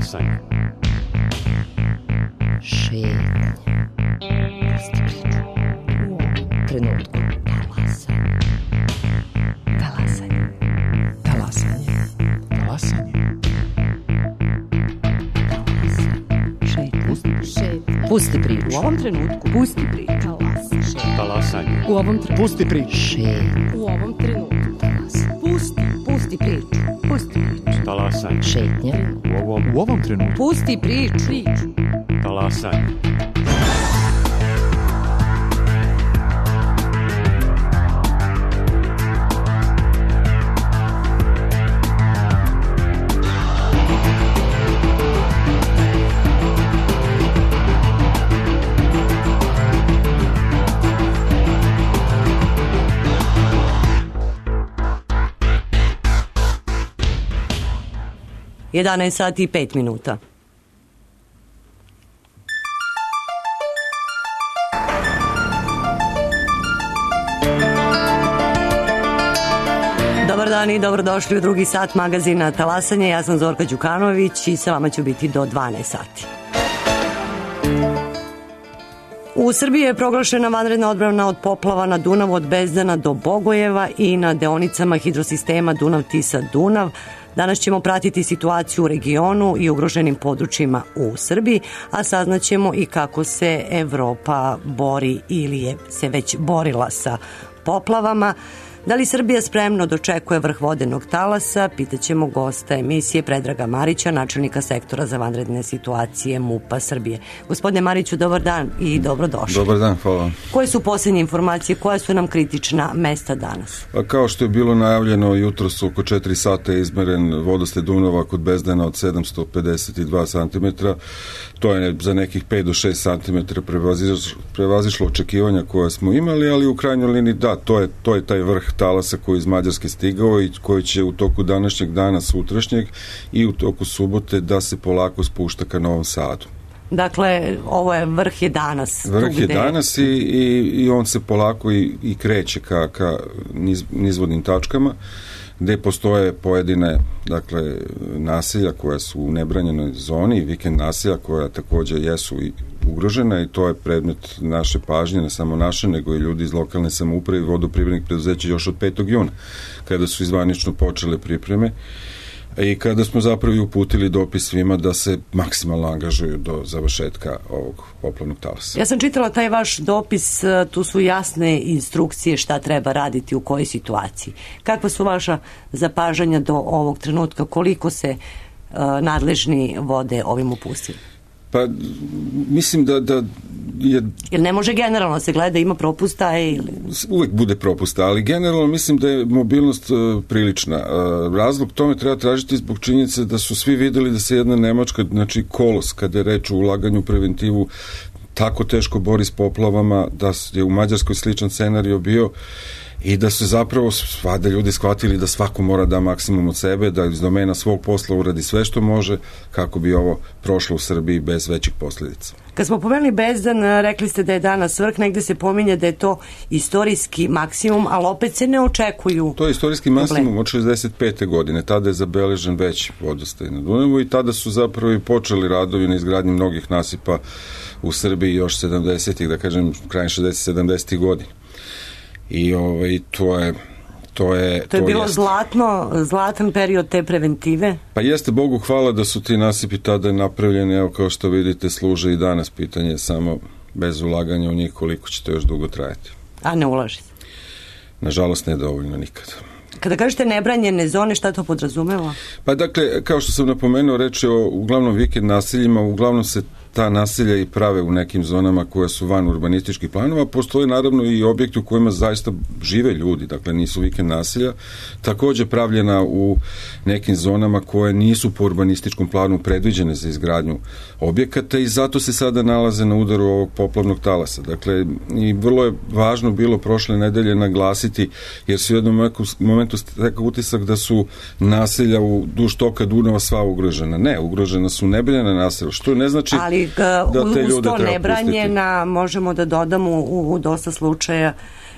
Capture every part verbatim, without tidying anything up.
Talasanje. Šetnja. Pusti priču. U ovom trenutku. Talasanje. Talasanje. Talasanje. Talasanje. Šetnja. Pusti priču. U ovom trenutku. Pusti priču. Talasanje. U ovom trenutku. Pusti priču. Šetnja. U ovom trenutku. Pusti. Pusti priču. Pusti priču. Talasanje. Šetnja. U ovom, u ovom trenutku. Pusti priču. Priču. Talasanje. jedanaest sati i pet minuta. Dobar dan i dobrodošli u drugi sat magazina Talasanje. Ja sam Zorka Đukanović i sa vama ću biti do dvanaest sati. U Srbiji je proglašena vanredna odbrana od poplava na Dunavu od Bezdana do Bogojeva i na deonicama hidrosistema Dunav-Tisa-Dunav. Danas ćemo pratiti situaciju u regionu i ugroženim područjima u Srbiji, a saznaćemo i kako se Evropa bori ili je se već borila sa poplavama. Da li Srbija spremno dočekuje vrh vodenog talasa? Pitaćemo gosta emisije Predraga Marića, načelnika sektora za vanredne situacije MUP-a Srbije. Gospodine Mariću, dobar dan i dobrodošli. Dobar dan, hvala. Koje su posljednje informacije, koja su nam kritična mesta danas? A kao što je bilo najavljeno, jutros oko četiri sata je izmeren vodostaj Dunava kod Bezdana od sedamsto pedeset dva centimetra. To je za nekih pet do šest centimetara prevazišlo, prevazišlo očekivanja koja smo imali, ali u krajnjoj liniji da, to je, to je taj vrh talasa koji je iz Mađarske stigao i koji će u toku današnjeg dana, sutrašnjeg i u toku subote da se polako spušta ka Novom Sadu. Dakle, ovo je vrh je danas. Vrh je danas i, i, i on se polako i, i kreće ka, ka niz, nizvodnim tačkama gde postoje pojedine, dakle, naselja koja su u nebranjenoj zoni i vikend naselja koja također jesu i ugrožena i to je predmet naše pažnje, ne samo naše, nego i ljudi iz lokalne samouprave i vodoprivrednih preduzeća još od petog juna, kada su izvanično počele pripreme i kada smo zapravo i uputili dopis svima da se maksimalno angažuju do završetka ovog poplavnog talasa. Ja sam čitala taj vaš dopis, tu su jasne instrukcije šta treba raditi u kojoj situaciji. Kakva su vaša zapažanja do ovog trenutka, koliko se uh, nadležni vode ovim upustili? Pa, mislim da, da je... Jer ne može generalno se gleda, ima propusta ili... Uvek bude propusta, ali generalno mislim da je mobilnost uh, prilična. Uh, razlog tome treba tražiti zbog činjenice da su svi videli da se jedna Nemačka, znači kolos, kada je reč o ulaganju u preventivu, tako teško bori s poplavama, da je u Mađarskoj sličan scenario bio i da su zapravo svada ljudi shvatili da svako mora da maksimum od sebe, da iz domena svog posla uradi sve što može kako bi ovo prošlo u Srbiji bez većih posljedica. Kad smo pomenuli Bezdan, rekli ste da je danas vrh, negde se pominje da je to istorijski maksimum, ali opet se ne očekuju. To je istorijski maksimum od šezdeset pete godine, tada je zabeležen veći vodostaj na Dunavu i tada su zapravo i počeli radovi na izgradnji mnogih nasipa u Srbiji još sedamdesetih, da kažem, krajem šezdesetih sedamdesetih godina. I ovaj, to je to je to je to bilo jeste. zlatno zlatan period te preventive. Pa jeste, Bogu hvala da su ti nasipi tada napravljeni, evo kao što vidite služe i danas, pitanje samo bez ulaganja u njih koliko će to još dugo trajati. A ne ulaži se? Nažalost ne dovoljno nikada. Kada kažete nebranjene zone, šta to podrazumeva? Pa dakle, kao što sam napomenuo, reč je o uglavnom vikend naseljima, uglavnom se ta naselja i prave u nekim zonama koje su van urbanističkih planova. Postoje naravno i objekti u kojima zaista žive ljudi, dakle nisu vikend naselja, također pravljena u nekim zonama koje nisu po urbanističkom planu predviđene za izgradnju objekata i zato se sada nalaze na udaru ovog poplavnog talasa. Dakle, i vrlo je važno bilo prošle nedelje naglasiti, jer su u jednom momentu stekao utisak da su naselja u duž toka Dunava sva ugrožena. Ne, ugrožena su nebranjena naselja, što ne znači ali da te uz ljude to treba nebranjena pustiti. Možemo da dodamo u, u dosta slučaja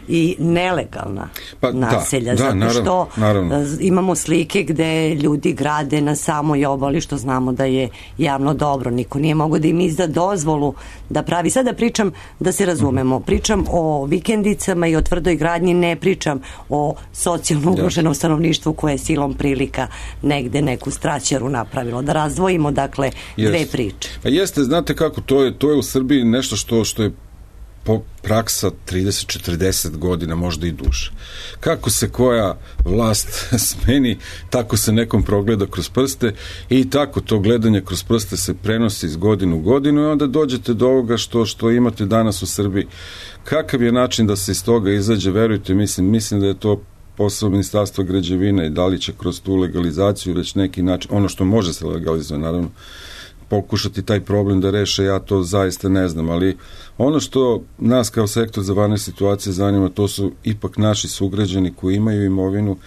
i nelegalna pa, naselja, da, da, zato naravno, što naravno. imamo slike gde ljudi grade na samoj obali, što znamo da je javno dobro, niko nije mogao da im izda dozvolu da pravi. Sada pričam, da se razumemo, pričam o vikendicama i o tvrdoj gradnji, ne pričam o socijalno ugroženom stanovništvu koje je silom prilika negde neku straćaru napravilo. Da razdvojimo, dakle, Jest. dve priče. Pa jeste, znate kako, to je, to je u Srbiji nešto što, što je po praksa trideset četrdeset godina, možda i duže. Kako se koja vlast smeni, tako se nekom progleda kroz prste i tako to gledanje kroz prste se prenosi iz godinu u godinu i onda dođete do ovoga što, što imate danas u Srbiji. Kakav je način da se iz toga izađe, verujte, mislim, mislim da je to posao Ministarstva građevine i da li će kroz tu legalizaciju već neki način, ono što može se legalizovati, naravno, pokušati taj problem da reše, ja to zaista ne znam, ali ono što nas kao sektor za vanredne situacije zanima, to su ipak naši sugrađani koji imaju imovinu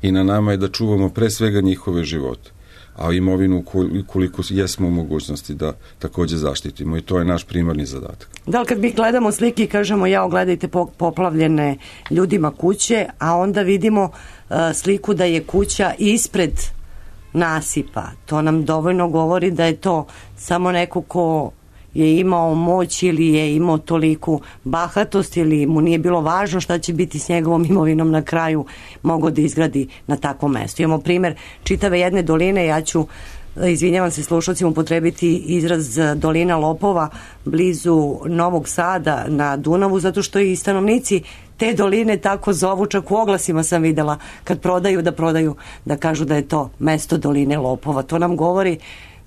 i na nama je da čuvamo pre svega njihove živote, a imovinu koliko jesmo u mogućnosti da takođe zaštitimo i to je naš primarni zadatak. Da li kad mi gledamo slike i kažemo ja ogledajte poplavljene ljudima kuće, a onda vidimo uh, sliku da je kuća ispred nasipa, to nam dovoljno govori da je to samo neko ko je imao moć ili je imao toliku bahatost ili mu nije bilo važno šta će biti s njegovom imovinom na kraju, mogao da izgradi na takvom mestu. Imamo primer čitave jedne doline, ja ću, izvinjavam se slušalcima, upotrebiti izraz dolina lopova blizu Novog Sada na Dunavu, zato što i stanovnici te doline tako zovu, čak u oglasima sam videla kad prodaju da prodaju, da kažu da je to mesto doline lopova. To nam govori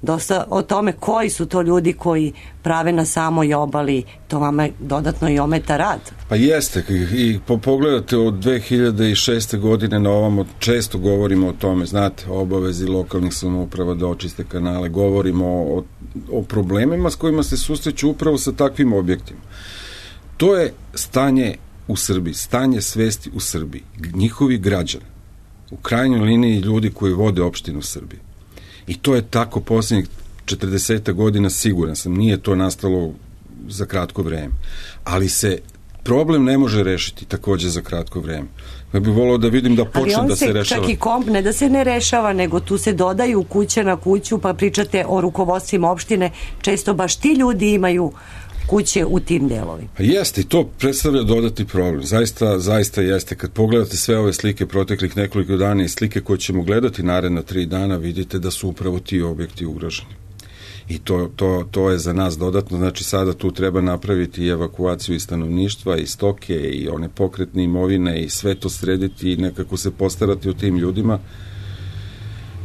dosta o tome koji su to ljudi koji prave na samoj obali, to vama dodatno i ometa rad. Pa jeste, i po, pogledate od dve hiljade šeste godine na ovamo često govorimo o tome, znate, obavezi lokalnih samouprava da očiste kanale, govorimo o, o problemima s kojima se susreću upravo sa takvim objektima. To je stanje u Srbiji, stanje svesti u Srbiji, njihovi građani, u krajnjoj liniji ljudi koji vode opštinu u Srbiji. I to je tako posljednjih četrdeset godina, siguran sam, nije to nastalo za kratko vreme. Ali se problem ne može rešiti takođe za kratko vreme. Ja bih volao da vidim da počne da se rešava. Ali on se čak i komp, ne da se ne rešava, nego tu se dodaju kuće na kuću, pa pričate o rukovodstvima opštine, često baš ti ljudi imaju kuće u tim delovima. Jeste, i to predstavlja dodati problem. Zaista, zaista jeste. Kad pogledate sve ove slike proteklih nekoliko dana i slike koje ćemo gledati naredna tri dana, vidite da su upravo ti objekti ugroženi. I to, to, to je za nas dodatno. Znači, sada tu treba napraviti i evakuaciju i stanovništva, i stoke, i one pokretne imovine, i sve to srediti i nekako se postarati o tim ljudima.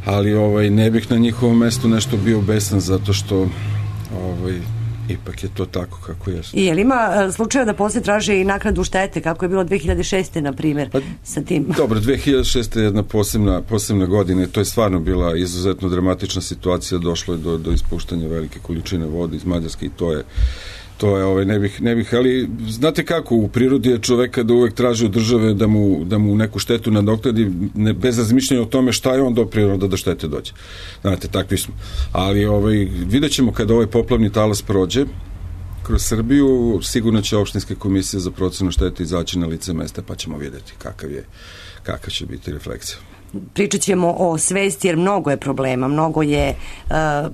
Ali ovaj, ne bih na njihovom mestu nešto bio besan, zato što ovaj, ipak je to tako kako je. I je li ima slučaja da posle traže i naknadu štete, kako je bilo dve hiljade šeste na primjer, pa, sa tim? Dobro, dve hiljade šeste je jedna posebna, posebna godina, to je stvarno bila izuzetno dramatična situacija, došlo je do, do ispuštanja velike količine vode iz Mađarske i to je to je, ovaj, ne bih, ne bih, ali znate kako, u prirodi je čoveka da uvek traži od države da mu, da mu neku štetu nadoknadi, ne, bez razmišljanja o tome šta je on doprineo da do štete dođe. Znate, takvi smo. Ali ovaj, vidjet ćemo kada ovaj poplavni talas prođe kroz Srbiju, sigurno će opštinske komisije za procenu štete izaći na lice mesta, pa ćemo vidjeti kakav je, kakav će biti refleksija. Pričat ćemo o svesti, jer mnogo je problema, mnogo je uh,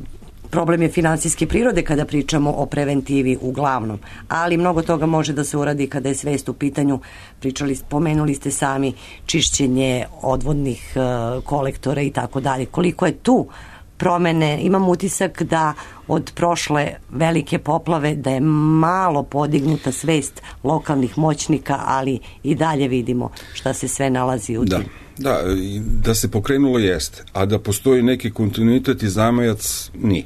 problem je finansijske prirode kada pričamo o preventivi uglavnom, ali mnogo toga može da se uradi kada je svest u pitanju. Pričali, pomenuli ste sami čišćenje odvodnih uh, kolektora i tako dalje. Koliko je tu promene, imam utisak da od prošle velike poplave da je malo podignuta svest lokalnih moćnika, ali i dalje vidimo šta se sve nalazi u da. tim. Da, da se pokrenulo jeste, a da postoji neki kontinuitet i zamajac nije.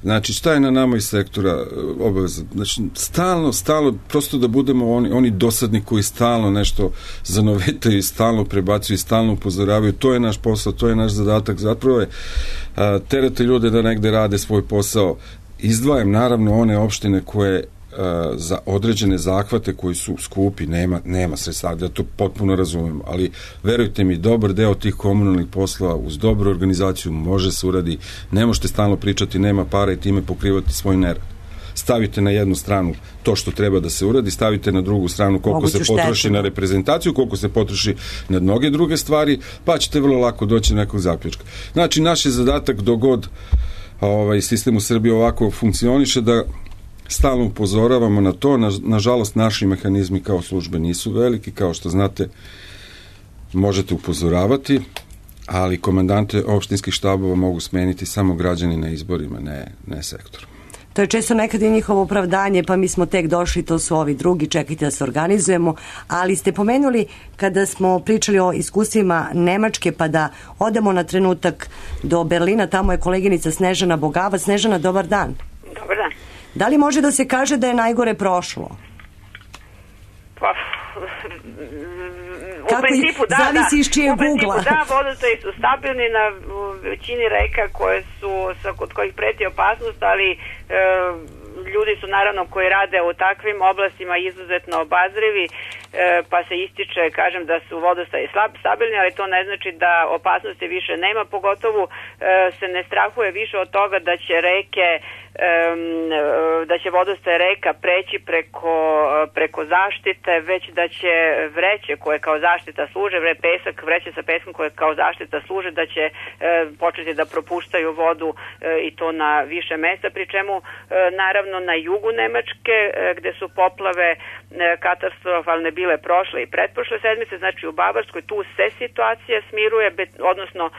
Znači, šta je na nama iz sektora obaveza? Znači, stalno, stalno, prosto da budemo oni, oni dosadni koji stalno nešto zanovetaju i stalno prebacuju i stalno upozoravaju. To je naš posao, to je naš zadatak. Zapravo je a, terate ljude da negde rade svoj posao. Izdvajam naravno one opštine koje za određene zahvate koji su skupi, nema, nema sredstava, da to potpuno razumem, ali verujte mi, dobar deo tih komunalnih poslova uz dobru organizaciju može se uradi, ne možete stalno pričati nema para i time pokrivati svoj nerad. stavite na jednu stranu to što treba da se uradi, stavite na drugu stranu koliko Moguću se potroši štetu. na reprezentaciju, koliko se potroši na mnoge druge stvari, pa ćete vrlo lako doći do nekog zaključka. Znači, naš je zadatak dogod ovaj sistem u Srbiji ovako funkcioniše da stalno upozoravamo na to. Na, nažalost, naši mehanizmi kao službe nisu veliki, kao što znate, možete upozoravati, ali komandante opštinskih štabova mogu smeniti samo građani na izborima, ne, ne sektor. To je često nekad i njihovo opravdanje, pa mi smo tek došli, to su ovi drugi, čekajte da se organizujemo, ali ste pomenuli kada smo pričali o iskustvima Nemačke, pa da odemo na trenutak do Berlina, tamo je koleginica Snežana Bogavac. Snežana, dobar dan. Dobar dan. Da li može da se kaže da je najgore prošlo? Pa, u Kako principu da, zavisi da. iz čijeg u principu ugla. da, vodostaji su stabilni na većini reka koje su, sa, kod kojih preti opasnost, ali e, ljudi su naravno koji rade u takvim oblastima izuzetno obazrivi, e, pa se ističe, kažem, da su vodostaji slab, stabilni, ali to ne znači da opasnosti više nema, pogotovo e, se ne strahuje više od toga da će reke da će vodostaj reka preći preko, preko zaštite, već da će vreće koje kao zaštita služe, vre pesak, vreće sa peskom koje kao zaštita služe, da će e, početi da propuštaju vodu e, i to na više mesta, pri čemu e, naravno na jugu Nemačke e, gde su poplave e, katastrofalne bile prošle i pretprošle sedmice, znači u Bavarskoj, tu se situacija smiruje, be, odnosno e,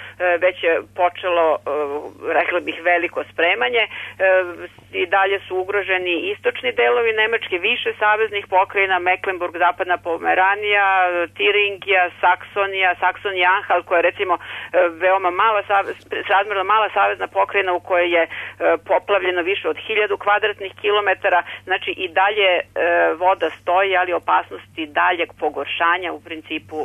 već je počelo, e, rekla bih, veliko spremanje. E, i dalje su ugroženi istočni delovi Nemačke, više saveznih pokrajina, Mecklenburg, Zapadna Pomeranija, Tiringija, Saksonija, Saksonija-Anhalt, koja je recimo veoma mala, razmerno mala savezna pokrajina u kojoj je poplavljeno više od hiljadu kvadratnih kilometara. Znači i dalje voda stoji, ali opasnosti daljeg pogoršanja u principu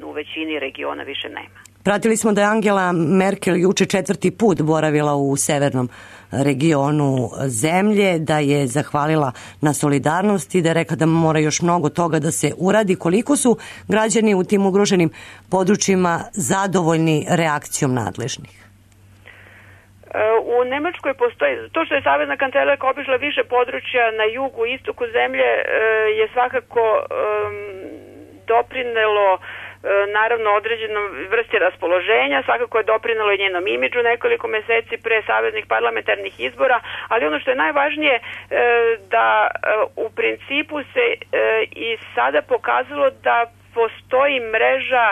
u većini regiona više nema. Pratili smo da je Angela Merkel juče četvrti put boravila u severnom regionu zemlje, da je zahvalila na solidarnosti, da je rekla da mora još mnogo toga da se uradi. Koliko su građani u tim ugroženim područjima zadovoljni reakcijom nadležnih? U Nemačkoj postoji, to što je savezna kancelarka obišla više područja na jugu i istoku zemlje je svakako doprinelo naravno određenom vrsti raspoloženja, svakako je doprinelo i njenom imidžu nekoliko meseci pre saveznih parlamentarnih izbora, ali ono što je najvažnije da u principu se i sada pokazalo da postoji mreža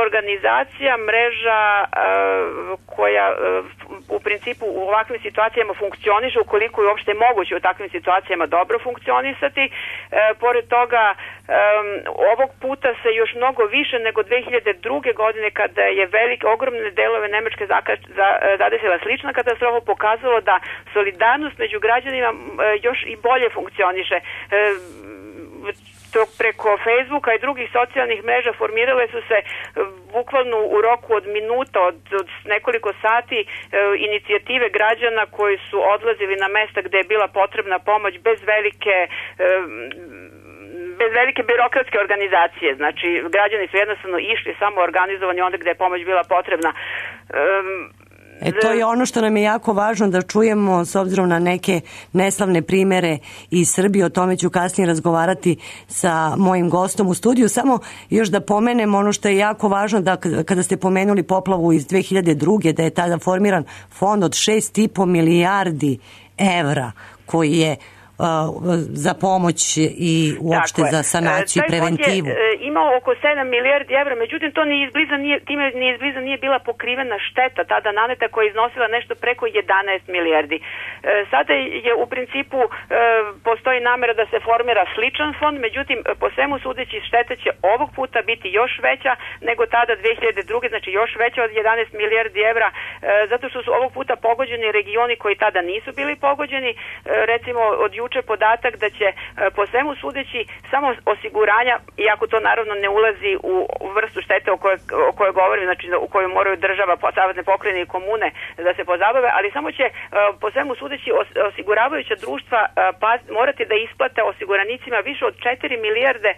organizacija, mreža koja u principu u ovakvim situacijama funkcioniše, ukoliko je uopšte moguće u takvim situacijama dobro funkcionisati. Pored toga, ovog puta se još mnogo više nego dve hiljade druge. godine, kada je velike, ogromne delove Nemačke zadesila slična katastrofa, pokazalo da solidarnost među građanima još i bolje funkcioniše. To preko Facebooka i drugih socijalnih mreža formirale su se bukvalno u roku od minuta, od, od nekoliko sati e, inicijative građana koji su odlazili na mesta gde je bila potrebna pomoć bez velike e, bez velike birokratske organizacije. Znači, građani su jednostavno išli samo organizovani onda gde je pomoć bila potrebna. E, E, to je ono što nam je jako važno da čujemo, s obzirom na neke neslavne primere iz Srbije. O tome ću kasnije razgovarati sa mojim gostom u studiju. Samo još da pomenem ono što je jako važno, da kada ste pomenuli poplavu iz dve hiljade druge. da je tada formiran fond od šest i po milijardi evra koji je za pomoć i uopšte za sanaciju i preventivu. Taj fond je imao oko sedam milijardi evra, međutim to ni izbliza nije, time ni izbliza nije bila pokrivena šteta tada naneta koja je iznosila nešto preko jedanaest milijardi. Sada je u principu postoji namera da se formira sličan fond, međutim po svemu sudeći šteta će ovog puta biti još veća nego tada dve hiljade druge. znači još veća od jedanaest milijardi evra, zato što su ovog puta pogođeni regioni koji tada nisu bili pogođeni. Recimo od juče juče podatak da će po svemu sudeći samo osiguranja, iako to naravno ne ulazi u vrstu štete o kojoj, o kojoj govorim, znači u kojoj moraju država, savezne pokrajine i komune da se pozabave, ali samo će po svemu sudeći osiguravajuća društva pa, morati da isplate osiguranicima više od četiri milijarde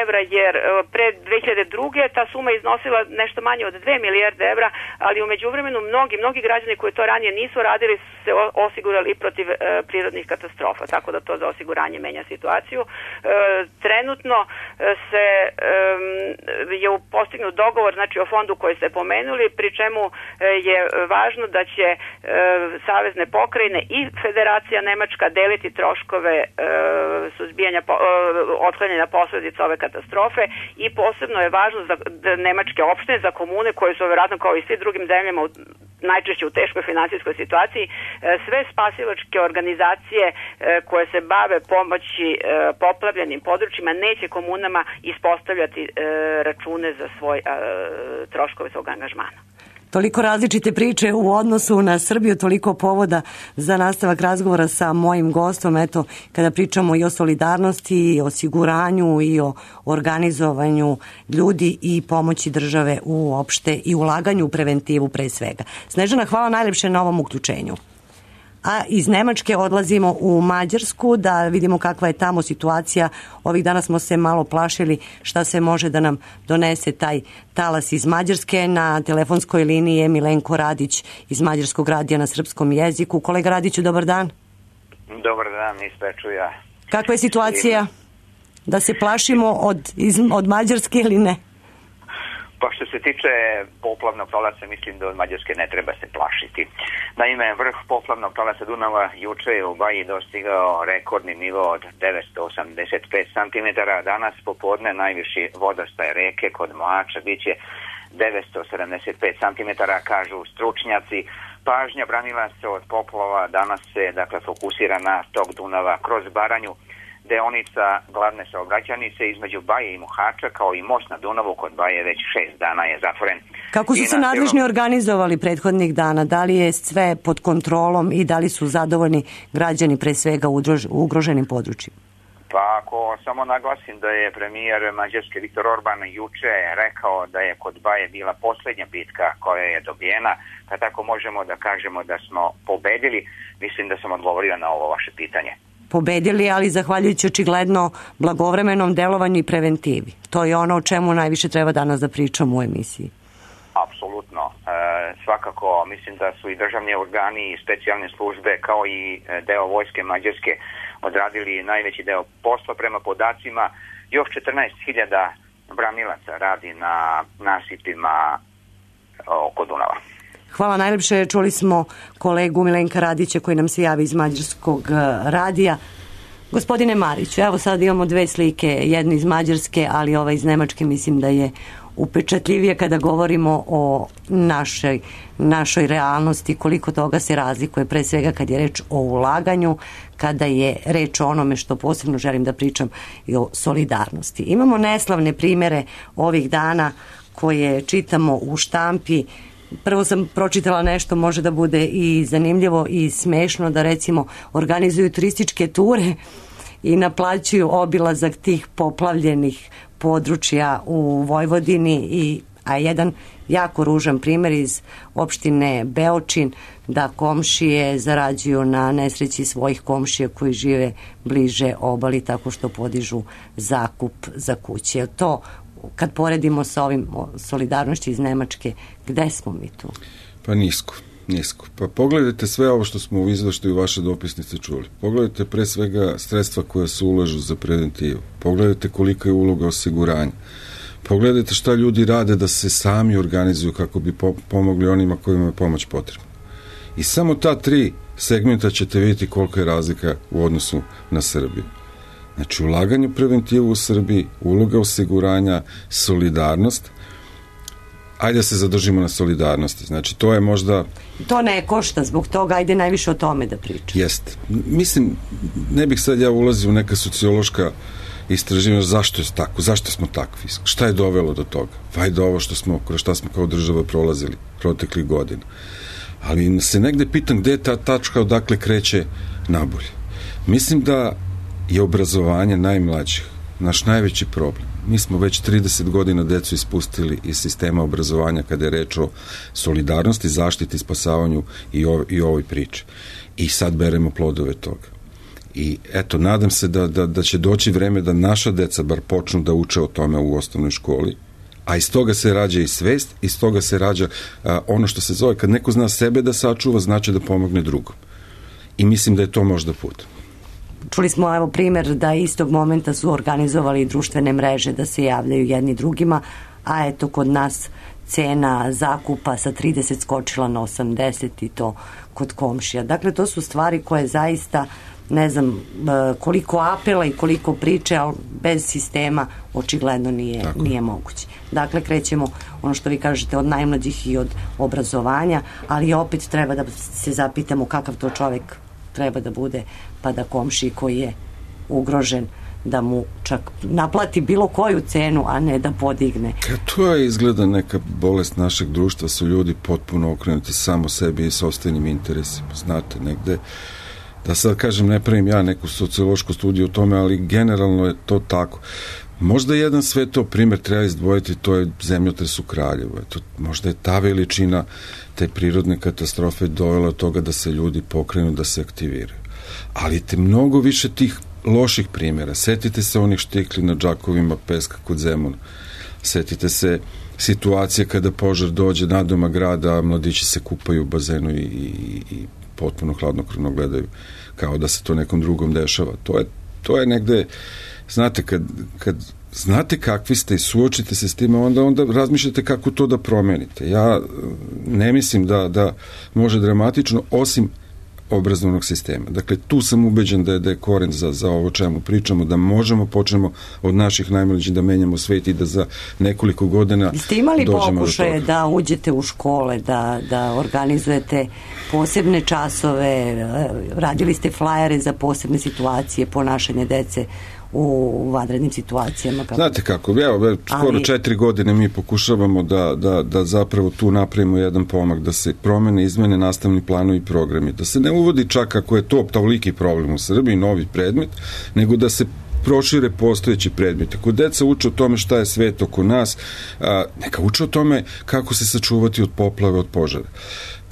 evra, jer pre dve hiljade druge ta suma iznosila nešto manje od dve milijarde evra, ali u međuvremenu mnogi, mnogi građani koji to ranije nisu radili su se osigurali i protiv e, prirodnih katastrofa, tako da to za osiguranje menja situaciju. E, trenutno se e, je postignut dogovor, znači o fondu koji ste pomenuli, pri čemu je važno da će e, savezne pokrajine i Federacija Nemačka deliti troškove e, suzbijanja, po, e, otklanjanja posledica ove katastrofe, i posebno je važno za nemačke opštine, za komune koje su vjerojatno kao i svi drugim zemljama u, najčešće u teškoj financijskoj situaciji, sve spasilačke organizacije koje se bave pomoći poplavljenim područjima neće komunama ispostavljati račune za svoj troškove svog angažmana. Toliko različite priče u odnosu na Srbiju, toliko povoda za nastavak razgovora sa mojim gostom. Eto, kada pričamo i o solidarnosti, i o osiguranju, i o organizovanju ljudi i pomoći države uopšte i ulaganju u preventivu pre svega. Snežana, hvala najlepše na ovom uključenju. A iz Nemačke odlazimo u Mađarsku da vidimo kakva je tamo situacija. Ovih dana smo se malo plašili šta se može da nam donese taj talas iz Mađarske. Na telefonskoj liniji je Milenko Radić iz Mađarskog radija na srpskom jeziku. Kolega Radiću, dobar dan. Dobar dan, ispeču ja. Kakva je situacija? Da se plašimo od, iz, od Mađarske ili ne? Pa što se tiče poplavnog talasa, mislim da od Mađarske ne treba se plašiti. Naime, vrh poplavnog talasa Dunava juče je u Baji dostigao rekordni nivo od devetsto osamdeset pet centimetara. Danas popodne najviši vodostaj reke kod Moača biće devetsto sedamdeset pet centimetara, kažu stručnjaci. Pažnja branilaca od poplava danas se dakle fokusira na tok Dunava kroz Baranju. Deonica glavne saobraćajnice između Baje i Mohača, kao i most na Dunavu kod Baje, već šest dana je zatvoren. Kako su I se nadležni cijelom... organizovali prethodnih dana? Da li je sve pod kontrolom i da li su zadovoljni građani pre svega u ugroženim područjima? Pa ako samo naglasim da je premijer Mađarske Viktor Orban juče rekao da je kod Baje bila posljednja bitka koja je dobijena, pa tako možemo da kažemo da smo pobedili. Mislim da sam odgovorio na ovo vaše pitanje. Pobedili, ali zahvaljujući očigledno blagovremenom delovanju i preventivi. To je ono o čemu najviše treba danas da pričamo u emisiji. Apsolutno. E, svakako mislim da su i državni organi i specijalne službe kao i deo vojske Mađarske odradili najveći deo posla. Prema podacima još četrnaest hiljada branilaca radi na nasipima oko Dunava. Hvala najlepše. Čuli smo kolegu Milenka Radića koji nam se javi iz Mađarskog radija. Gospodine Mariću, evo sad imamo dve slike, jednu iz Mađarske, ali ova iz Nemačke mislim da je upečatljivije kada govorimo o našoj, našoj realnosti, koliko toga se razlikuje, pre svega kad je reč o ulaganju, kada je reč o onome što posebno želim da pričam i o solidarnosti. Imamo neslavne primere ovih dana koje čitamo u štampi. Prvo sam pročitala nešto, može da bude i zanimljivo i smešno, da recimo organizuju turističke ture i naplaćuju obilazak tih poplavljenih područja u Vojvodini, i, a jedan jako ružan primjer iz opštine Beočin, da komšije zarađuju na nesreći svojih komšija koji žive bliže obali tako što podižu zakup za kuće. To kad poredimo sa ovim solidarnošću iz Nemačke, gde smo mi tu? Pa nisko, nisko. Pa pogledajte sve ovo što smo u izveštaju vaše dopisnice čuli. Pogledajte pre svega sredstva koja se ulažu za preventivu. Pogledajte kolika je uloga osiguranja. Pogledajte šta ljudi rade da se sami organizuju kako bi pomogli onima kojima je pomoć potrebna. I samo ta tri segmenta ćete vidjeti kolika je razlika u odnosu na Srbiju. Znači, ulaganje u preventivu u Srbiji, uloga osiguranja, solidarnost. Ajde se zadržimo na solidarnosti. Znači, to je možda... To ne košta, zbog toga ajde najviše o tome da pričam. Jeste. Mislim, ne bih sad ja ulazio u neka sociološka istraživanja zašto je tako, zašto smo takvi, šta je dovelo do toga. Vajde ovo što smo, kroz šta smo kao država prolazili proteklih godina. Ali se negde pitam gde je ta tačka odakle kreće nabolje. Mislim da je obrazovanje najmlađih naš najveći problem. Mi smo već trideset godina decu ispustili iz sistema obrazovanja kada je reč o solidarnosti, zaštiti, spasavanju i, ov, i ovoj priči. I sad beremo plodove toga. I eto, nadam se da, da, da će doći vreme da naša deca bar počnu da uče o tome u osnovnoj školi, a iz toga se rađa i svest, iz toga se rađa a, ono što se zove, kad neko zna sebe da sačuva, znači da pomogne drugom. I mislim da je to možda put. Čuli smo evo primjer da istog momenta su organizovali društvene mreže da se javljaju jedni drugima, a eto kod nas cena zakupa sa trideset skočila na osamdeset i to kod komšija. Dakle, to su stvari koje zaista, ne znam koliko apela i koliko priče, ali bez sistema očigledno nije, nije moguće. Dakle, krećemo, ono što vi kažete, od najmlađih i od obrazovanja, ali opet treba da se zapitamo kakav to čovjek treba da bude, pa da komšiji koji je ugrožen da mu čak naplati bilo koju cenu, a ne da podigne. To je izgleda neka bolest našeg društva, su ljudi potpuno okrenuti samo sebi i sopstvenim interesima. Znate, negde, da sad kažem, ne pravim ja neku sociološku studiju o tome, ali generalno je to tako. Možda jedan sve to primjer treba izdvojiti, to je zemljotres u Kraljevu. Eto, možda je ta veličina te prirodne katastrofe dovela od toga da se ljudi pokrenu, da se aktiviraju. Ali te mnogo više tih loših primjera. Setite se onih štikli na džakovima peska kod Zemuna. Setite se situacije kada požar dođe nadoma grada, a mladići se kupaju u bazenu i, i, i potpuno hladnokrvno gledaju kao da se to nekom drugom dešava. To je, to je negde, znate, kad, kad znate kakvi ste i suočite se s time, onda, onda razmišljate kako to da promenite. Ja ne mislim da, da može dramatično, osim obrazovnog sistema. Dakle, tu sam ubeđen da je, da je koren za, za ovo čemu pričamo, da možemo, počnemo od naših najmlađih da menjamo svet i da za nekoliko godina dođemo do toga. Ste imali pokušaje da uđete u škole, da, da organizujete posebne časove, radili ste flajere za posebne situacije, ponašanje dece u vanrednim situacijama? Kako? Znate kako, evo, skoro Ali... četiri godine mi pokušavamo da, da, da zapravo tu napravimo jedan pomak, da se promene, izmene nastavni planovi i programi, da se ne uvodi čak ako je to toliki problem u Srbiji, novi predmet, nego da se prošire postojeći predmeti. Ako deca uče o tome šta je svet oko nas, a, neka uče o tome kako se sačuvati od poplave, od požara.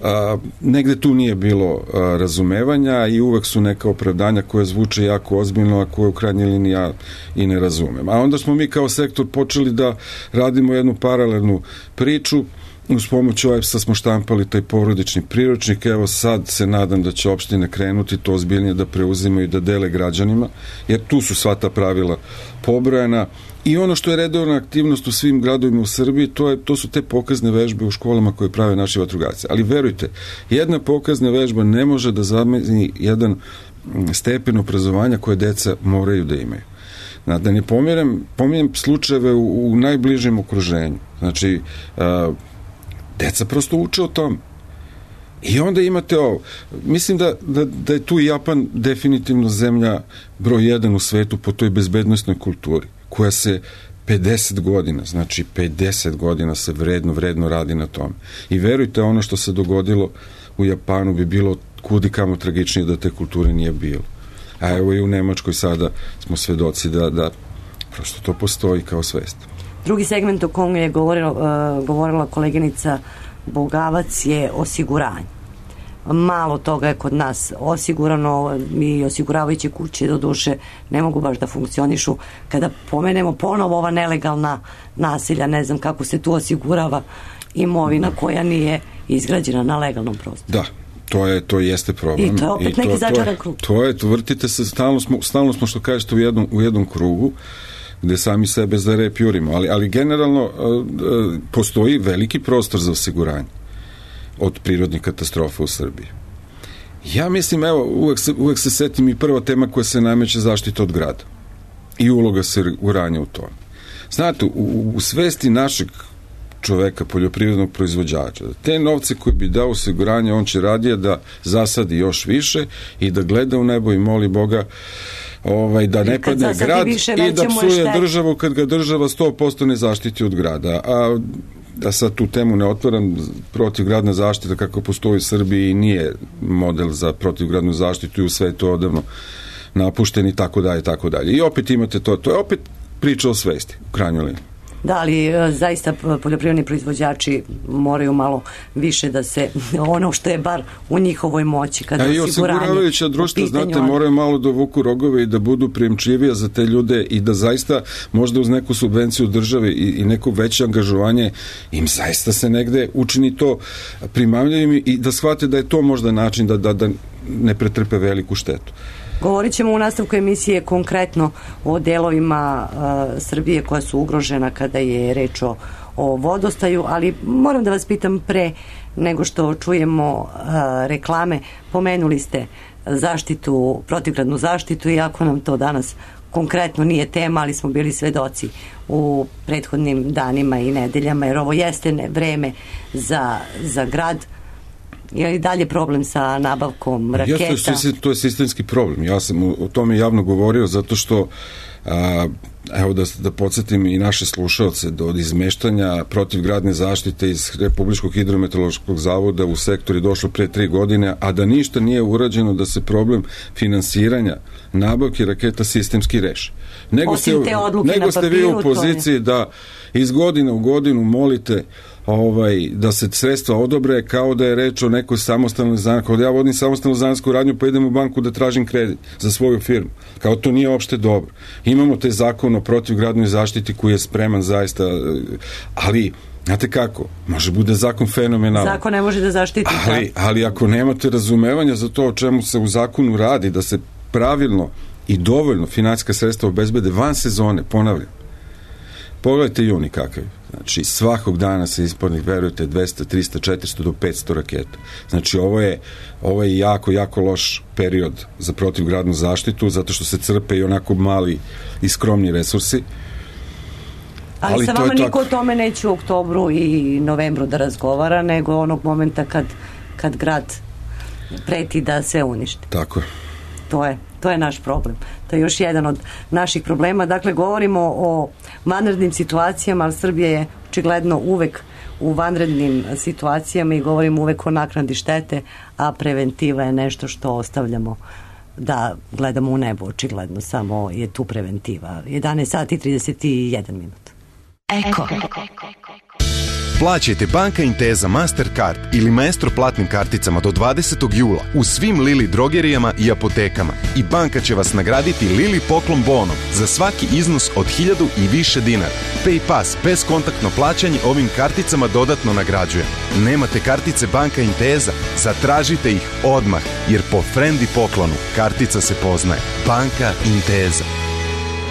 A, negde tu nije bilo a, razumevanja i uvek su neka opravdanja koje zvuče jako ozbiljno, a koje u krajnjoj liniji ja i ne razumem. A onda smo mi kao sektor počeli da radimo jednu paralelnu priču. Uz pomoć O E P S-a smo štampali taj porodični priručnik. Evo sad se nadam da će opštine krenuti to ozbiljnije da preuzimaju i da dele građanima, jer tu su sva ta pravila pobrojana. I ono što je redovna aktivnost u svim gradovima u Srbiji, to, je, to su te pokazne vežbe u školama koje prave naši vatrogasci. Ali verujte, jedna pokazna vežba ne može da zameni jedan stepen obrazovanja koje deca moraju da imaju. Da ne pominjem, pominjem slučajeve u, u najbližem okruženju. Znači, a, deca prosto uče o tom. I onda imate ovo. Mislim da, da, da je tu Japan definitivno zemlja broj jedan u svetu po toj bezbednosnoj kulturi, koja se pedeset godina, znači pedeset godina se vredno, vredno radi na tome. I verujte, ono što se dogodilo u Japanu bi bilo kudi kamo tragičnije da te kulture nije bilo. A evo i u Nemačkoj sada smo svedoci da, da prosto to postoji kao svest. Drugi segment o kom je govorila, uh, govorila koleginica Bogavac je osiguranje. Malo toga je kod nas osigurano i osiguravajuće kuće do duše ne mogu baš da funkcionišu. Kada pomenemo ponovo ova nelegalna nasilja, ne znam kako se tu osigurava imovina koja nije izgrađena na legalnom prostoru. Da, to je, to jeste problem. I to je opet I neki začaran krug. To je, to vrtite se, stalno smo, stalno smo što kažete u jednom, u jednom krugu gde sami sebe za rep jurimo, ali, ali generalno postoji veliki prostor za osiguranje od prirodnih katastrofa u Srbiji. Ja mislim, evo, uvek se, uvek se setim i prva tema koja se nameće zaštita od grada i uloga osiguranja u tome. Znate, u, u svesti našeg čoveka, poljoprivrednog proizvođača, te novce koje bi dao osiguranje, on će radije da zasadi još više i da gleda u nebo i moli Boga ovaj, da ne padne grad više, i da psuje državu kad ga država sto posto ne zaštiti od grada. A da sad tu temu ne otvaram, protivgradna zaštita kako postoji u Srbiji nije model za protivgradnu zaštitu i u svetu odavno napušteni i tako dalje, tako dalje. I opet imate to, to je opet priča o svesti u krajnjoj liniji. Da, ali zaista poljoprivredni proizvođači moraju malo više da se, ono što je bar u njihovoj moći, kada osiguranje. I osiguravajuća društva, znate, moraju malo dovuku rogove i da budu prijemčivije za te ljude i da zaista možda uz neku subvenciju države i, i neko veće angažovanje im zaista se negde učini to primamljivim i da shvate da je to možda način da, da, da ne pretrpe veliku štetu. Govorit ćemo u nastavku emisije konkretno o delovima uh, Srbije koja su ugrožena kada je reč o, o vodostaju, ali moram da vas pitam pre nego što čujemo uh, reklame. Pomenuli ste zaštitu, protivgradnu zaštitu, iako nam to danas konkretno nije tema, ali smo bili svedoci u prethodnim danima i nedeljama, jer ovo jeste ne, vreme za, za grad. Je li dalje problem sa nabavkom raketa? Jeste, to je sistemski problem. Ja sam o tome javno govorio zato što a, evo da, da podsjetim i naše slušaoce do izmeštanja protivgradne zaštite iz Republičkog hidrometeorološkog zavoda u sektor je došlo pre tri godine, a da ništa nije urađeno da se problem finansiranja nabavke raketa sistemski reši. Nego ste, nego ste vi u poziciji da iz godine u godinu molite ovaj, da se sredstva odobre kao da je reč o nekoj samostalnoj zanatskoj. Kao da ja vodim samostalnu zanatsku radnju pa idem u banku da tražim kredit za svoju firmu. Kao to nije uopšte dobro. Imamo taj zakon o protivgradnoj zaštiti koji je spreman zaista, ali znate kako, može bude zakon fenomenalan. Zakon ne može da zaštiti. Ali, ali ako nemate razumevanja za to o čemu se u zakonu radi, da se pravilno i dovoljno finansijska sredstva obezbede van sezone, ponavljam. Pogledajte juni kakav. Znači, svakog dana se ispornih, verujete, dvesta, trista, četiristo do petsto raketa. Znači, ovo je, ovo je jako, jako loš period za protivgradnu zaštitu, zato što se crpe i onako mali i skromni resursi. Ali, ali sa vama niko o tome neće u oktobru i novembru da razgovara, nego onog momenta kad, kad grad preti da se uništi. Tako je. To je, to je naš problem. To je još jedan od naših problema. Dakle, govorimo o vanrednim situacijama, ali Srbija je očigledno uvek u vanrednim situacijama i govorimo uvek o naknadi štete, a preventiva je nešto što ostavljamo da gledamo u nebo, očigledno. Samo je tu preventiva. jedanaest sati i trideset jedan minut. Eko. Plaćajte Banka Intesa Mastercard ili Maestro platnim karticama do dvadesetog jula u svim Lili drogerijama i apotekama i banka će vas nagraditi Lili poklon bonom za svaki iznos od hiljadu i više dinara. PayPass bezkontaktno plaćanje ovim karticama dodatno nagrađuje. Nemate kartice Banka Intesa? Zatražite ih odmah, jer po frendi poklonu kartica se poznaje. Banka Intesa.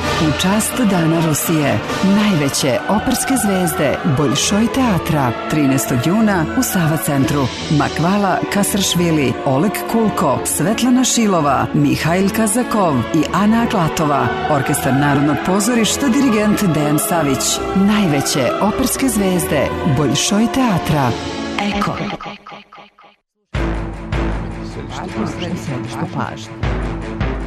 U čast Dana Rusije, najveće operske zvezde Boljšoj teatra, trinaestog juna u Sava centru. Makvala Kasršvili, Oleg Kulko, Svetlana Šilova, Mihajl Kazakov i Ana Aklatova. Orkestar Narodnog pozorišta, dirigent Dejan Savić. Najveće operske zvezde Boljšoj teatra. Eko. Središte pažnje.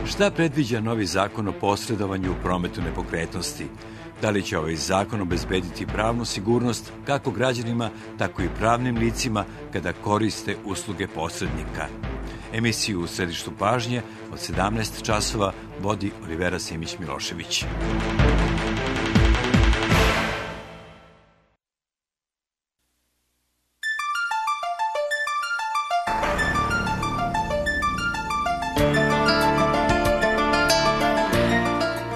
Šta predviđa novi zakon o posredovanju u prometu nepokretnosti? Da li će ovaj zakon obezbediti pravnu sigurnost kako građanima, tako i pravnim licima kada koriste usluge posrednika? Emisiju u središtu pažnje od sedamnaest časova vodi Olivera Simić-Milošević.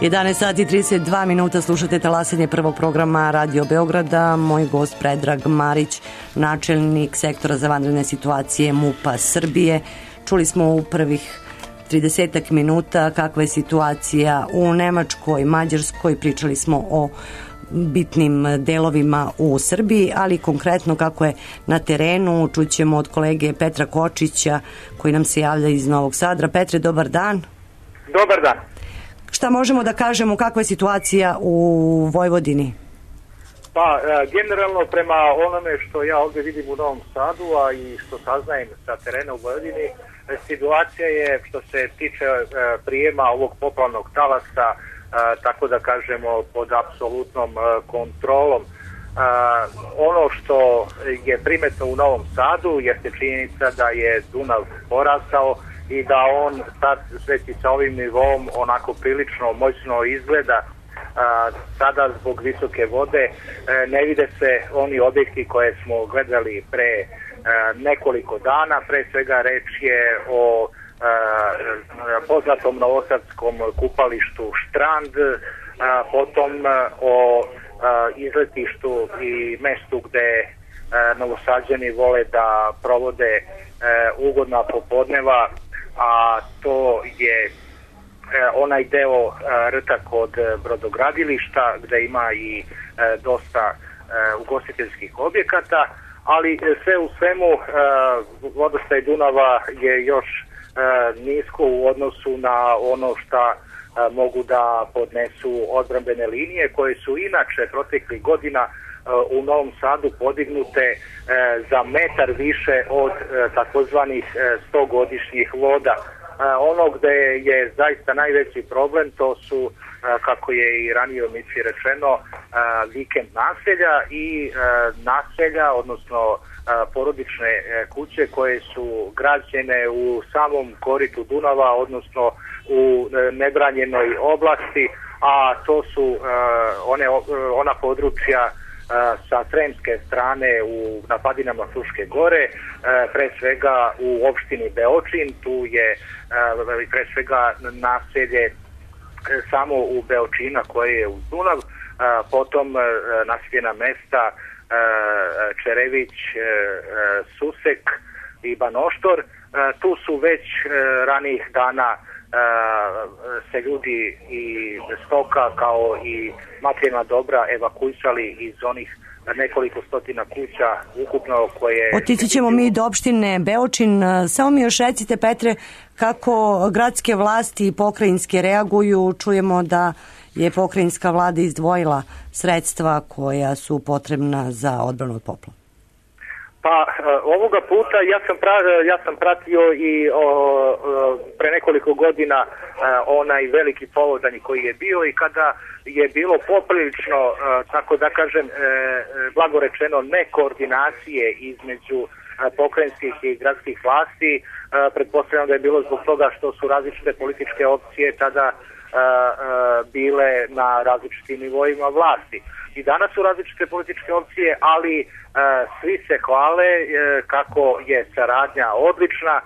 jedanaest sati i trideset dva minuta, slušate talasanje prvog programa Radio Beograda. Moj gost Predrag Marić, načelnik sektora za vanredne situacije MUP-a Srbije. Čuli smo u prvih tridesetak minuta kakva je situacija u Nemačkoj, Mađarskoj, pričali smo o bitnim delovima u Srbiji, ali konkretno kako je na terenu čućemo od kolege Petra Kočića koji nam se javlja iz Novog Sadra. Petre, dobar dan. Dobar dan. Šta možemo da kažemo, kakva je situacija u Vojvodini? Pa, generalno prema onome što ja ovdje vidim u Novom Sadu, a i što saznajem sa terena u Vojvodini, situacija je što se tiče prijema ovog poplavnog talasa, tako da kažemo, pod apsolutnom kontrolom. Ono što je primetno u Novom Sadu jeste činjenica da je Dunav porastao i da on sad sveći sa ovim nivom onako prilično moćno izgleda. A, sada zbog visoke vode e, ne vide se oni objekti koje smo gledali pre e, nekoliko dana. Pre svega reč je o e, poznatom novosadskom kupalištu Štrand, a, potom o a, izletištu i mestu gde a, Novosađani vole da provode e, ugodna popodneva, a to je onaj deo rta kod brodogradilišta gde ima i dosta ugostiteljskih objekata, ali sve u svemu vodostaj Dunava je još nisko u odnosu na ono šta mogu da podnesu odbrambene linije koje su inače proteklih godina u Novom Sadu podignute za metar više od takozvanih stogodišnjih voda. Ono gde je zaista najveći problem to su, kako je i ranije u emisiji rečeno, vikend naselja i naselja, odnosno porodične kuće koje su građene u samom koritu Dunava, odnosno u nebranjenoj oblasti, a to su one, ona područja sa sremske strane u napadinama Fruške gore, pre svega u opštini Beočin. Tu je pre svega naselje samo u Beočina koje je uz Dunav, potom naseljena mesta Čerević, Susek i Banoštor. Tu su već ranijih dana se ljudi i stoka kao i materijalna dobra evakuisali iz onih nekoliko stotina kuća ukupno koje... Otići ćemo mi do opštine Beočin. Samo mi još recite, Petre, kako gradske vlasti i pokrajinske reaguju. Čujemo da je pokrajinska vlada izdvojila sredstva koja su potrebna za odbranu od poplava. Pa ovoga puta ja sam, pra, ja sam pratio i o, o, pre nekoliko godina a, onaj veliki povodanj koji je bio i kada je bilo poprilično, a, tako da kažem, e, blago rečeno, nekoordinacije između a, pokrajinskih i gradskih vlasti. A, pretpostavljam da je bilo zbog toga što su različite političke opcije tada a, a, bile na različitim nivoima vlasti. I danas su različite političke opcije, ali e, svi se hvale e, kako je saradnja odlična. E,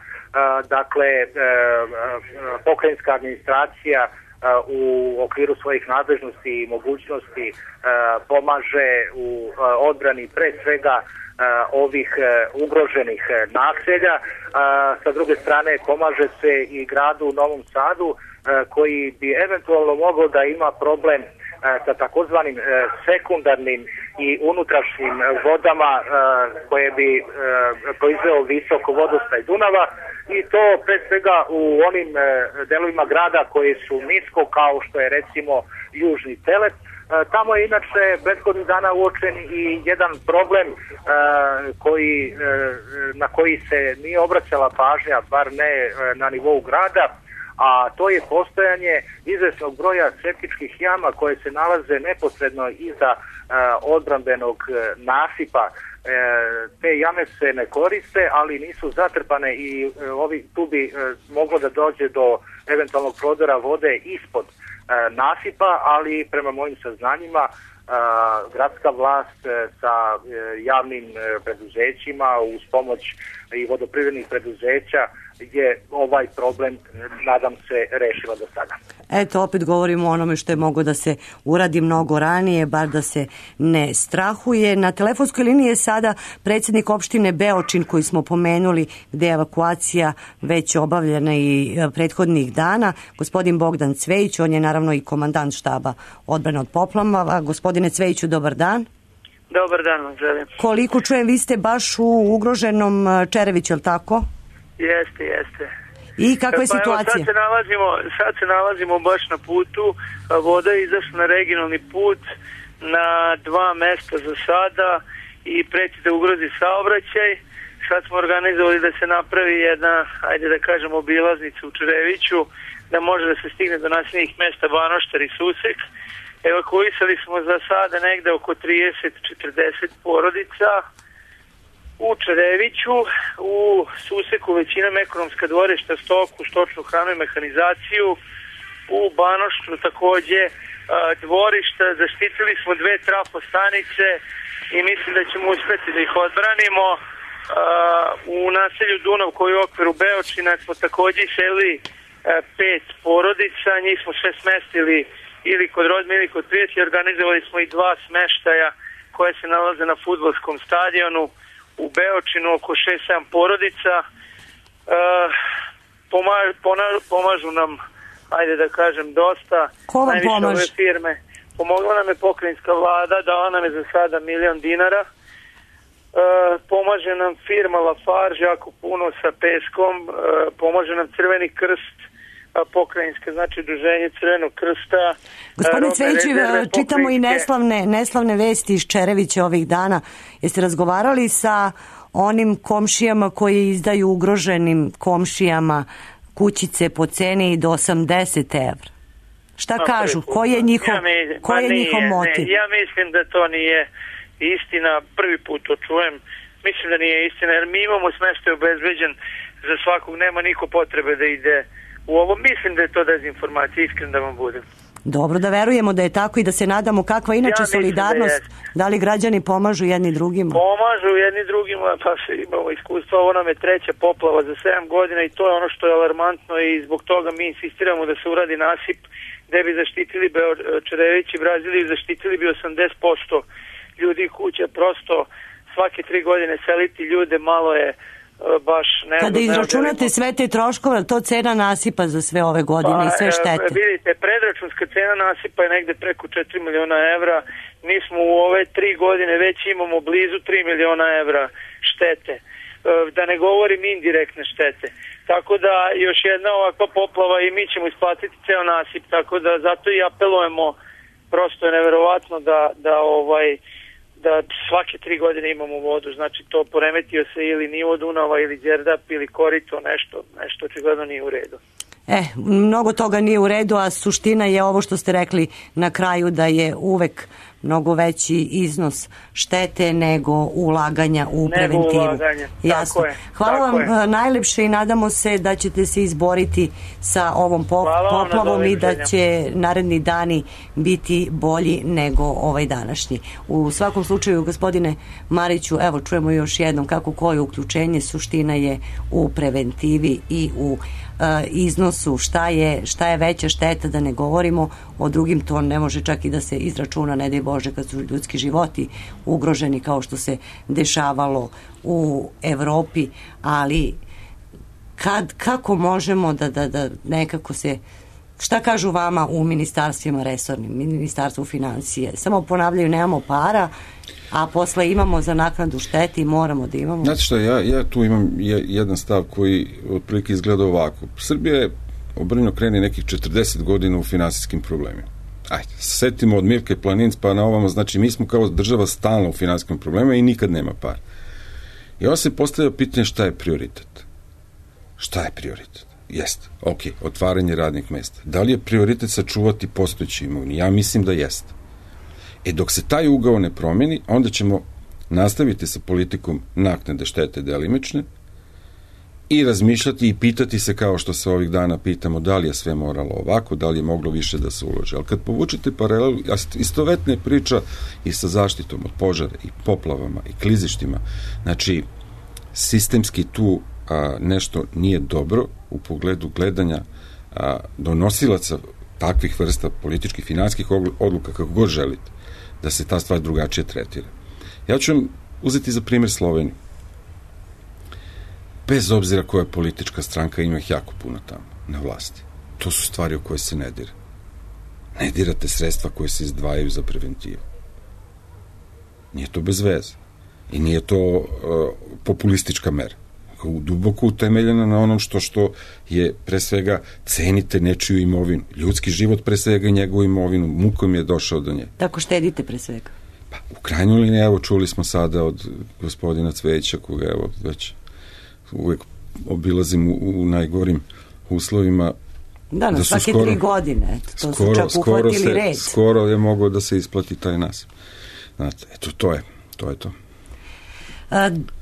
dakle, e, pokrajinska administracija e, u okviru svojih nadležnosti i mogućnosti e, pomaže u e, odbrani pre svega e, ovih e, ugroženih e, naselja. E, sa druge strane, pomaže se i gradu u Novom Sadu e, koji bi eventualno mogao da ima problem sa takozvanim sekundarnim i unutrašnjim vodama koje bi proizveo visok vodostaj Dunava, i to pre svega u onim delovima grada koji su nisko, kao što je recimo Južni Telet. Tamo je inače prethodnih dana uočen i jedan problem koji, na koji se nije obraćala pažnja, bar ne na nivou grada, a to je postojanje izvesnog broja septičkih jama koje se nalaze neposredno iza e, odbrambenog e, nasipa. E, te jame se ne koriste, ali nisu zatrpane i e, ovi, tu bi e, moglo da dođe do eventualnog prodora vode ispod e, nasipa, ali prema mojim saznanjima a, gradska vlast e, sa e, javnim e, preduzećima uz pomoć i vodoprivrednih preduzeća je ovaj problem, nadam se, rešila do sada. Eto, opet govorimo o onome što je mogo da se uradi mnogo ranije, bar da se ne strahuje. Na telefonskoj liniji je sada predsjednik opštine Beočin, koji smo pomenuli, gde je evakuacija već obavljena i prethodnih dana, gospodin Bogdan Cvejić. On je naravno i komandant štaba odbrane od poplava. Gospodine Cvejiću, dobar dan. Dobar dan vam želim. Koliko čujem, vi ste baš u ugroženom Čereviću, je li tako? Jeste, jeste. I kakva je pa situacija? Evo, sad se nalazimo, sad se nalazimo baš na putu. Voda je izašla na regionalni put na dva mesta za sada i preti da ugrozi saobraćaj. Sad smo organizovali da se napravi jedna, ajde da kažem, obilaznica u Čereviću, da može da se stigne do naseljenih mesta Banoštar i Susek. Evakuisali smo za sada negde oko trideset do četrdeset porodica u Čereviću, u suseku većinom ekonomska dvorišta, stoku, stočnu hranu i mehanizaciju, u Banošću takođe dvorišta, zaštitili smo dve trafostanice i mislim da ćemo uspeti da ih odbranimo. U naselju Dunav koji je u okviru Beočina smo takođe iselili pet porodica, njih smo sve smestili ili kod rodbine ili kod prijatelja, organizovali smo i dva smeštaja koje se nalaze na fudbalskom stadionu u Beočinu, oko šest sedam porodica. Pomažu nam, ajde da kažem, dosta. Ko vam pomaže? Ove firme. Pomogla nam je pokrajinska vlada, dala nam je za sada milion dinara. E, pomaže nam firma Lafarge jako puno sa peskom, e, pomaže nam Crveni krst, pokrajinske, znači udruženje Crvenog krsta. Gospodine Cvejiću, čitamo i neslavne, neslavne vesti iz Čerevića ovih dana. Jeste razgovarali sa onim komšijama koji izdaju ugroženim komšijama kućice po ceni do osamdeset evra? Šta no, kažu? Koji je njihov, ja mi, ko je nije, njihov motiv? Ne, ja mislim da to nije istina. Prvi put to čujem. Mislim da nije istina, jer mi imamo smeštaj obezbeđen za svakog. Nema niko potrebe da ide u ovo. Mislim da je to dezinformacija, iskren da vam budem. Dobro, da verujemo da je tako i da se nadamo kakva inače ja solidarnost. Da, da li građani pomažu jedni drugima? Pomažu jedni drugima, pa se imamo iskustva. Ovo nam je treća poplava za sedam godina i to je ono što je alarmantno i zbog toga mi insistiramo da se uradi nasip gde bi zaštitili Čerević i Braziliju, zaštitili bi osamdeset posto ljudi kuća. Prosto svake tri godine seliti ljude malo je baš ne. Kada izračunate sve te troškove, to cena nasipa za sve ove godine pa, i sve štete? Vidite, predračunska cena nasipa je negde preko četiri miliona evra. Mi smo u ove tri godine već imamo blizu tri miliona evra štete. Da ne govorim indirektne štete. Tako da još jedna ovakva poplava i mi ćemo isplatiti ceo nasip. Tako da zato i apelujemo, prosto je neverovatno da, da ovaj da svake tri godine imamo vodu, znači to poremetio se ili nivo Dunava ili Đerdap ili korito, nešto, nešto očigledno nije u redu. E, mnogo toga nije u redu, a suština je ovo što ste rekli na kraju, da je uvek mnogo veći iznos štete nego ulaganja u preventivu. Nego ulaganja, jasno. Tako je. Hvala tako vam je. najlepše i nadamo se da ćete se izboriti sa ovom poplavom i da će naredni dani biti bolji nego ovaj današnji. U svakom slučaju, gospodine Mariću, evo čujemo još jednom kako koje uključenje, suština je u preventivi i u iznosu, šta je, šta je veća šteta, da ne govorimo o drugim, to ne može čak i da se izračuna, ne daj Bože, kad su ljudski životi ugroženi kao što se dešavalo u Evropi, ali kad, kako možemo da, da, da nekako se, šta kažu vama u ministarstvima resornim, ministarstvu financije, samo ponavljaju nemamo para, a posle imamo za naknadu šteti i moramo da imamo. Znate što, ja, ja tu imam jedan stav koji otprilike izgleda ovako. Srbija je obrnjeno krene nekih četrdeset godina u finansijskim problemima. Ajde, setimo od Mirke Planinc pa na ovamo, znači mi smo kao država stalno u finansijskim problemima i nikad nema par. I onda se postavlja pitanje šta je prioritet. Šta je prioritet? Jeste, ok, otvaranje radnih mesta. Da li je prioritet sačuvati postojeći imovini? Ja mislim da jeste. E dok se taj ugao ne promeni, onda ćemo nastaviti sa politikom naknade štete delimične i razmišljati i pitati se, kao što se ovih dana pitamo, da li je sve moralo ovako, da li je moglo više da se uloži. Ali kad povučete paralelu, istovetne priča i sa zaštitom od požara i poplavama i klizištima, znači sistemski tu a, nešto nije dobro u pogledu gledanja a, donosilaca takvih vrsta političkih, finanskih odluka, kako god želite, da se ta stvar drugačije tretira. Ja ću vam uzeti za primjer Sloveniju. Bez obzira koja politička stranka, ima ih jako puno tamo na vlasti. To su stvari o koje se ne dira. Ne dirate sredstva koje se izdvajaju za preventivu. Nije to bez veze. I nije to uh, populistička mera. Duboko utemeljena na onom što što je, pre svega, cenite nečiju imovinu. Ljudski život, pre svega, njegovu imovinu. Mukom je došao do nje. Tako štedite, pre svega? Pa, u krajnjoj liniji, evo, čuli smo sada od gospodina Cvejića, koga, evo, već uvek obilazim u, u najgorim uslovima. Da, na da svake skoro, tri godine. Eto, to skoro, su čak uhvatili red. Skoro je mogao da se isplati taj nasip. Znate, eto, to je, to je to.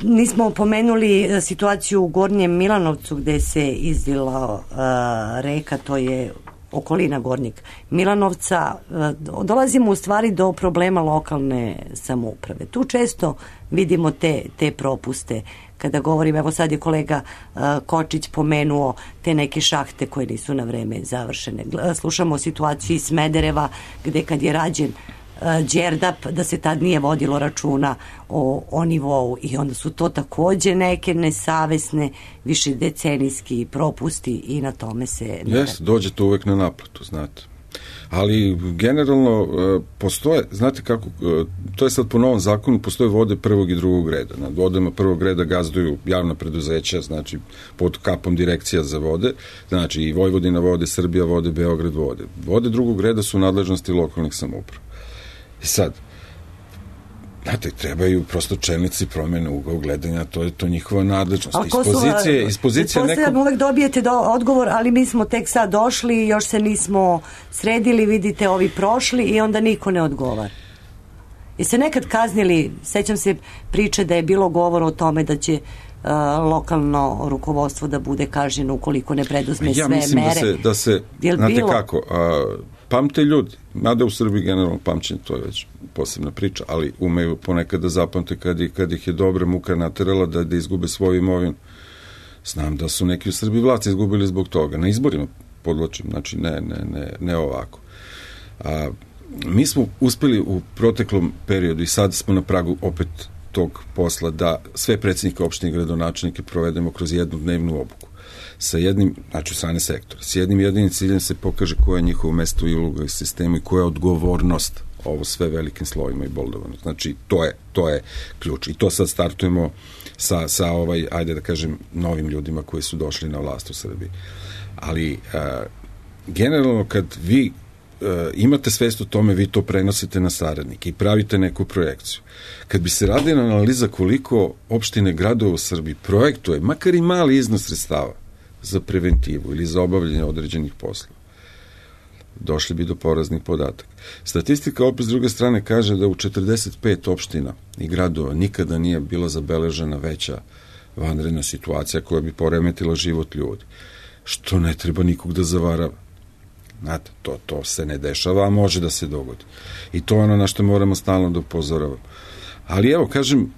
Nismo pomenuli situaciju u Gornjem Milanovcu gde se izlila reka, to je okolina Gornjeg Milanovca. Dolazimo u stvari do problema lokalne samouprave. Tu često vidimo te, te propuste. Kada govorim, evo sad je kolega uh, Kočić pomenuo te neke šahte koje nisu na vreme završene. Slušamo situaciju iz Smedereva gde kad je rađen uh, Đerdap, da se tad nije vodilo računa o, o nivou i onda su to takođe neke nesavesne više decenijski propusti i na tome se... Jeste, dođe to uvek na naplatu, znate. Ali generalno postoje, znate kako, to je sad po novom zakonu, postoje vode prvog i drugog reda. Nad vodama prvog reda gazduju javna preduzeća, znači pod kapom direkcija za vode, znači i Vojvodina vode, Srbija vode, Beograd vode. Vode drugog reda su nadležnosti lokalnih samouprava. I sad, znate, trebaju prosto čelnici promene ugao gledanja, to je to njihova nadležnost. Iz pozicije, iz pozicije nekog... Uvek dobijete do, odgovor, ali mi smo tek sad došli, još se nismo sredili, vidite, ovi prošli i onda niko ne odgovara. Jeste nekad kaznili, sećam se priče da je bilo govor o tome da će uh, lokalno rukovodstvo da bude kažnjeno ukoliko ne preduzme ja sve mere. Ja mislim da se, da se znate bilo? kako, a, pamte ljudi, mada u Srbiji generalno pamćenje, to je već posebna priča, ali umeju ponekad da zapamte kad, kad ih je dobra muka naterala da, da izgube svoju imovinu. Znam da su neki u Srbiji vlaci izgubili zbog toga. Na izborima podločim, znači ne, ne, ne, ne ovako. A, mi smo uspeli u proteklom periodu i sad smo na pragu opet tog posla da sve predsjednike opštine i gradonačelnike provedemo kroz jednu dnevnu obuku. Sa jednim, znači strane sektora, s jednim jedinim ciljem se pokaže koje je njihovo mesto i uloga u sistemu i koja je odgovornost ovo sve velikim slovima i boldovano. Znači, to je, to je ključ. I to sad startujemo sa, sa ovaj, ajde da kažem, novim ljudima koji su došli na vlast u Srbiji. Ali, a, generalno, kad vi a, imate svest o tome, vi to prenosite na saradnike i pravite neku projekciju. Kad bi se radila analiza koliko opštine, gradova u Srbiji projektuje, makar i mali iznos sredstava za preventivu ili za obavljanje određenih poslova, došli bi do poraznih podataka. Statistika opet s druge strane kaže da u četrdeset pet opština i gradova nikada nije bila zabeležena veća vanredna situacija koja bi poremetila život ljudi. Što ne treba nikog da zavarava. Znate, to, to se ne dešava, a može da se dogodi. I to je ono na što moramo stalno da upozoravamo. Ali evo, kažem,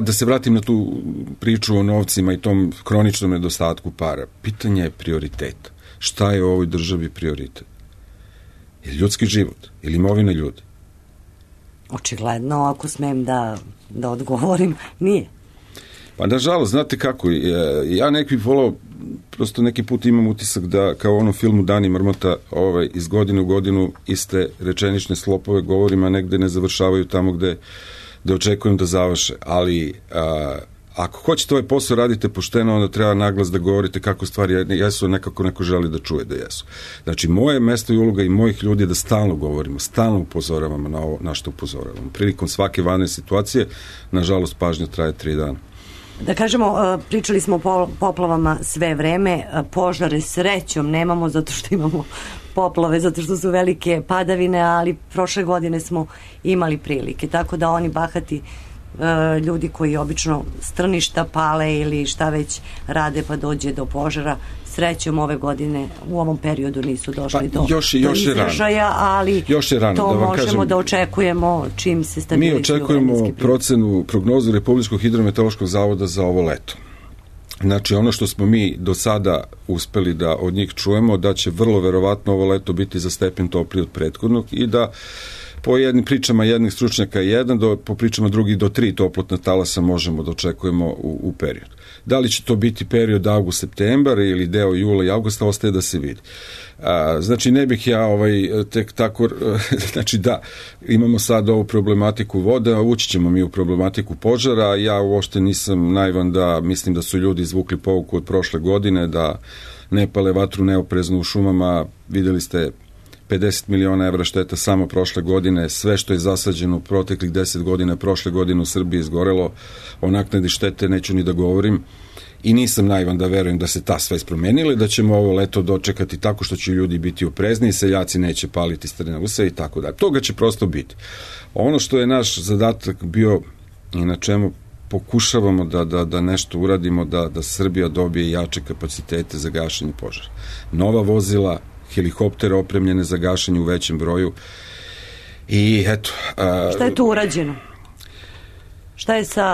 da se vratim na tu priču o novcima i tom hroničnom nedostatku para. Pitanje je prioriteta. Šta je u ovoj državi prioritet? Je ljudski život ili imovina ljudi? Očigledno, ako smem da, da odgovorim, nije. Pa nažalost, znate kako, ja neki volao, prosto neki put imam utisak da kao u onom filmu Dani Mrmota ovaj, iz godine u godinu iste rečenične slopove govorima negde ne završavaju tamo gde, gde očekujem da završe, ali a, ako hoćete ovaj posao radite pošteno, onda treba naglas da govorite kako stvari jesu, nekako neko želi da čuje da jesu. Znači, moje mesto i uloga i mojih ljudi je da stalno govorimo, stalno upozoravamo na ovo, na što upozoravamo. Prilikom svake vanredne situacije, nažalost, pažnja traje tri dana. Da kažemo, pričali smo o poplavama sve vreme, požare srećom nemamo zato što imamo poplave, zato što su velike padavine, ali prošle godine smo imali prilike, tako da oni bahati ljudi koji obično strništa pale ili šta već rade pa dođe do požara, srećom ove godine u ovom periodu nisu došli pa, do, još, još do izražaja, ali još je rano, to da možemo kažem, da očekujemo čim se stabilizuju. Mi očekujemo procenu, prognozu Republičkog hidrometeorološkog zavoda za ovo leto. Znači, ono što smo mi do sada uspeli da od njih čujemo, da će vrlo verovatno ovo leto biti za stepen topliji od prethodnog i da po jednim pričama jednih stručnjaka jedan, do, po pričama drugih do tri toplotna talasa možemo da očekujemo u, u periodu. Da li će to biti period avgust-septembar ili deo jula i avgusta, ostaje da se vidi. A, znači, ne bih ja ovaj, tek tako, znači da, imamo sad ovu problematiku vode, a ući ćemo mi u problematiku požara, ja uopšte nisam naivan da mislim da su ljudi izvukli pouku od prošle godine, da ne pale vatru neoprezno u šumama, videli ste pedeset miliona evra šteta samo prošle godine, sve što je zasađeno u proteklih deset godina, prošle godine u Srbiji izgorelo, o naknadi štete neću ni da govorim i nisam naivan da verujem da se ta sve ispromenile, da ćemo ovo leto dočekati tako što će ljudi biti oprezni, seljaci neće paliti strne use i tako da. Toga će prosto biti. Ono što je naš zadatak bio i na čemu pokušavamo da, da, da nešto uradimo, da, da Srbija dobije jače kapacitete za gašenje požara. Nova vozila, helikoptere opremljene za gašenje u većem broju i eto... A, šta je tu urađeno? Šta je sa...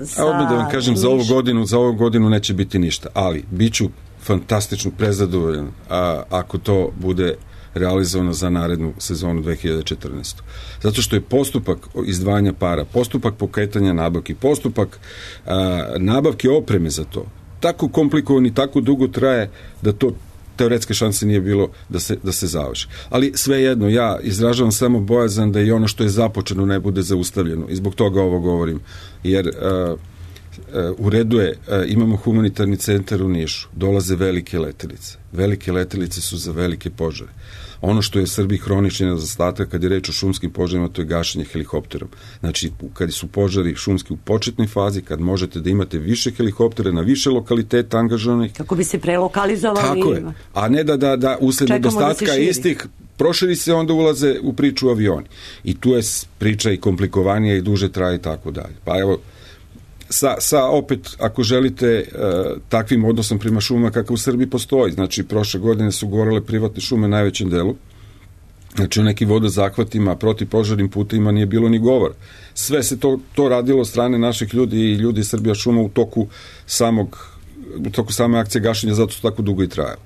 sa a odmah da vam kažem, za ovu godinu, za ovu godinu neće biti ništa, ali bit ću fantastično prezadovoljan a, ako to bude realizovano za narednu sezonu dve hiljade četrnaeste. Zato što je postupak izdvajanja para, postupak pokretanja nabavki, postupak a, nabavke opreme za to, tako komplikovan i tako dugo traje da to teoretske šanse nije bilo da se, da se završi. Ali svejedno, ja izražavam samo bojazan da i ono što je započeno ne bude zaustavljeno i zbog toga ovo govorim. Jer a, a, u redu je, a, imamo humanitarni centar u Nišu, dolaze velike letelice. Velike letelice su za velike požare. Ono što je Srbiji hronični nedostatak kad je reč o šumskim požarima, to je gašenje helikopterom. Znači, kad su požari šumski u početnoj fazi, kad možete da imate više helikoptera na više lokaliteta angažovanih. Kako bi se prelokalizovali. Tako je. A ne da, da, da usled nedostatka da istih proširi se, onda ulaze u priču avioni. I tu je priča i komplikovanija i duže traje i tako dalje. Pa evo, Sa, sa opet, ako želite, e, takvim odnosom prema šumama kakav u Srbiji postoji. Znači, prošle godine su gorele privatne šume u najvećem delu. Znači, u nekim vodozahvatima, protivpožarnim putevima nije bilo ni govor. Sve se to, to radilo od strane naših ljudi i ljudi Srbija šuma u toku samog, u toku same akcije gašenja, zato su tako dugo i trajali.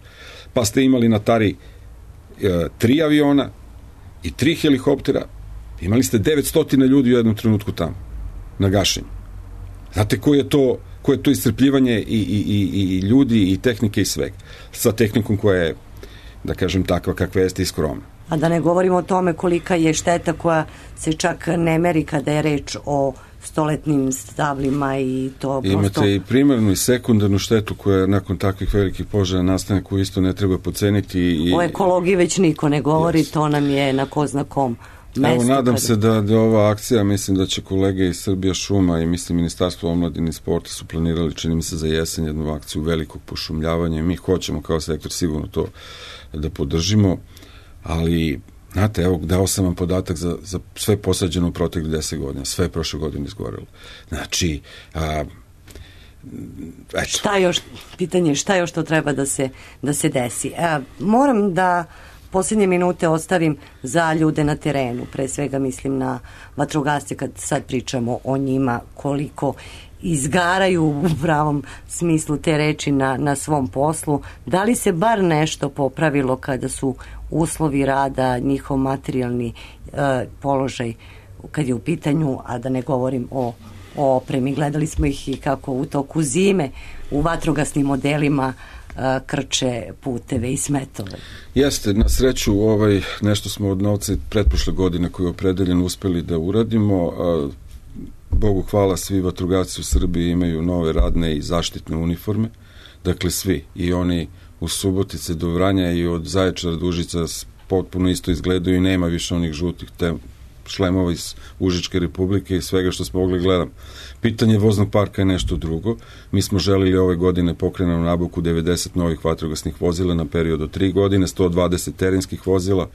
Pa ste imali na Tari e, tri aviona i tri helikoptera. Imali ste devetsto ljudi u jednom trenutku tamo, na gašenju. Znate ko je to, ko je to iscrpljivanje i, i, i, i ljudi i tehnike i svega. Sa tehnikom koja je, da kažem, takva kakva jeste i skromna. A da ne govorimo o tome kolika je šteta koja se čak ne meri kada je reč o stoletnim stablima i to prosto... Imate i primarnu i sekundarnu štetu koja nakon takvih velikih požara nastane, koju isto ne treba poceniti. I... O ekologiji već niko ne govori, yes. To nam je na ko zna kom. Mesto, Evo, nadam kada... se da, da ova akcija, mislim da će kolege iz Srbija šuma i mislim Ministarstvo omladine i sporta su planirali, čini mi se, za jesen jednu akciju velikog pošumljavanja i mi hoćemo kao sektor sigurno to da podržimo, ali znate, evo, dao sam vam podatak za, za sve posađeno u proteklih deset godina, sve je prošle godine izgorelo. Znači, a, eto. Šta još, pitanje, šta još to treba da se, da se desi? A, moram da posljednje minute ostavim za ljude na terenu, pre svega mislim na vatrogasce, kad sad pričamo o njima, koliko izgaraju u pravom smislu te reči na, na svom poslu. Da li se bar nešto popravilo kada su uslovi rada, njihov materijalni e, položaj kad je u pitanju, a da ne govorim o, o opremi. Gledali smo ih i kako u toku zime u vatrogasnim modelima krče puteve i smetove. Jeste, na sreću ovaj, nešto smo od novca pretprošle godine koji je opredeljen uspeli da uradimo. A, Bogu hvala, svi vatrogasci u Srbiji imaju nove radne i zaštitne uniforme. Dakle, svi. I oni u Subotice do Vranja i od Zaječara do Užica potpuno isto izgledaju i nema više onih žutih te šlemova iz Užičke republike i svega što smo mogli gledam. Pitanje voznog parka je nešto drugo. Mi smo želili ove godine pokrenuti nabavku devedeset novih vatrogasnih vozila na period od tri godine, sto dvadeset terenskih vozila.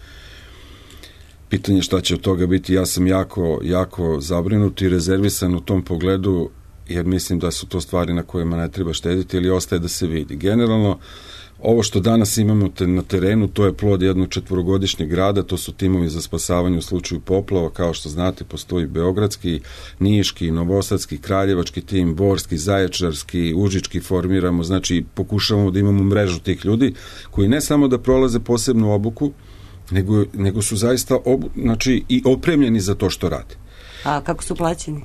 Pitanje šta će od toga biti, ja sam jako, jako zabrinut i rezervisan u tom pogledu, jer mislim da su to stvari na kojima ne treba štediti ili ostaje da se vidi. Generalno, ovo što danas imamo te, na terenu, to je plod jednog četvorogodišnjeg rada, to su timovi za spasavanje u slučaju poplava, kao što znate, postoji beogradski, niški, novosadski, kraljevački tim, borski, zaječarski, užički formiramo, znači pokušavamo da imamo mrežu tih ljudi, koji ne samo da prolaze posebnu obuku, nego, nego su zaista obu, znači, i opremljeni za to što rade. A kako su plaćeni?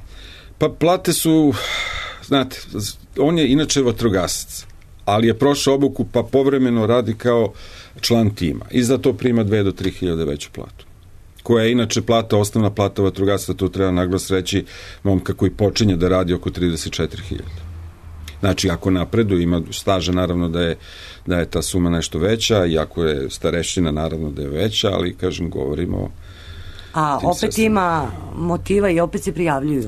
Pa plate su, znate, on je inače vatrogasac, ali je prošao obuku pa povremeno radi kao član tima i za to prima dve do tri hiljade veću platu, koja je inače plata, osnovna plata vatrogasca, to treba naglas reći, momka koji počinje da radi oko trideset četiri hiljade. Znači, ako napreduje, ima staža, naravno da je, da je ta suma nešto veća, i ako je starešćina, naravno da je veća, ali, kažem, govorimo... A opet sasvim... ima motiva i opet se prijavljuju.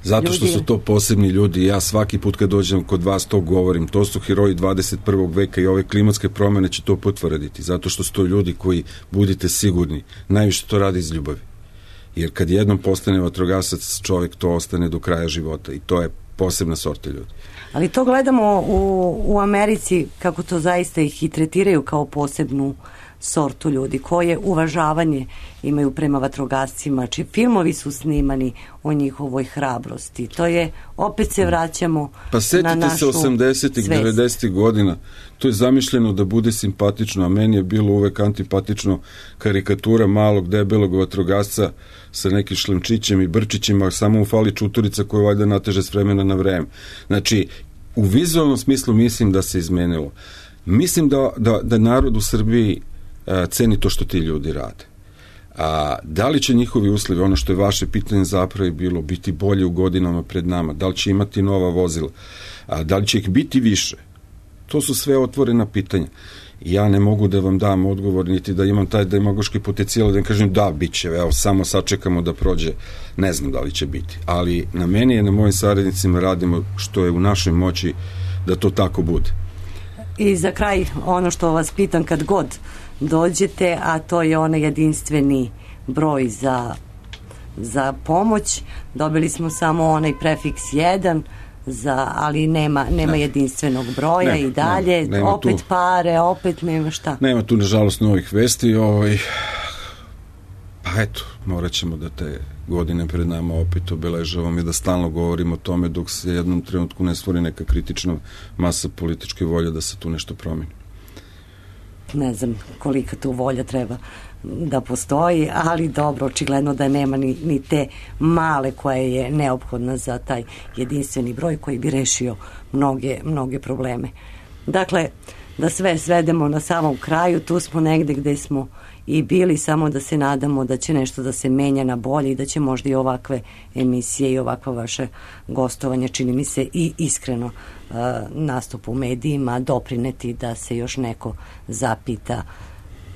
Zato što su to posebni ljudi. Ja svaki put kad dođem kod vas to govorim. To su heroji dvadeset prvog veka i ove klimatske promene će to potvrditi. Zato što su to ljudi koji, budite sigurni, najviše to radi iz ljubavi. Jer kad jednom postane vatrogasac, čovjek to ostane do kraja života. I to je posebna sorta ljudi. Ali to gledamo u, u Americi, kako to zaista ih i tretiraju kao posebnu sortu ljudi, koje uvažavanje imaju prema vatrogascima, či filmovi su snimani o njihovoj hrabrosti. To je, opet se vraćamo pa na našu se osamdesetih, devedesetih godina, to je zamišljeno da bude simpatično, a meni je bilo uvek antipatično karikatura malog debelog vatrogasca sa nekim šlemčićem i brčićima, samo mu fali čuturica koju valjda nateže s vremena na vreme. Znači, u vizualnom smislu mislim da se izmenilo. Mislim da, da, da narod u Srbiji a, ceni to što ti ljudi rade. A da li će njihovi uslovi, ono što je vaše pitanje zapravo je bilo, biti bolje u godinama pred nama, da li će imati nova vozila, a da li će ih biti više, to su sve otvorena pitanja. Ja ne mogu da vam dam odgovor, niti da imam taj demagoški potencijal da im kažem da, bit će, evo, samo sačekamo da prođe, ne znam da li će biti, ali na meni i na mojim saradnicima radimo što je u našoj moći da to tako bude. I za kraj, ono što vas pitam kad god dođete, a to je onaj jedinstveni broj za, za pomoć. Dobili smo samo onaj prefiks jedan, za, ali nema, nema ne. jedinstvenog broja nema, i dalje. Nema, nema opet tu, pare, opet nema šta. Nema tu, nažalost, novih vesti. Ovaj, pa eto, morat ćemo da te godine pred nama opet obeležavamo i da stalno govorimo o tome dok se jednom trenutku ne stvori neka kritična masa političke volje da se tu nešto promeni. Ne znam kolika tu volja treba da postoji, ali dobro, očigledno da nema ni, ni te male koja je neophodna za taj jedinstveni broj koji bi rešio mnoge, mnoge probleme. Dakle, da sve svedemo na samom kraju, tu smo negde gde smo i bili, samo da se nadamo da će nešto da se menja na bolje i da će možda i ovakve emisije i ovakva vaše gostovanje, čini mi se i iskreno uh, nastup u medijima, doprineti da se još neko zapita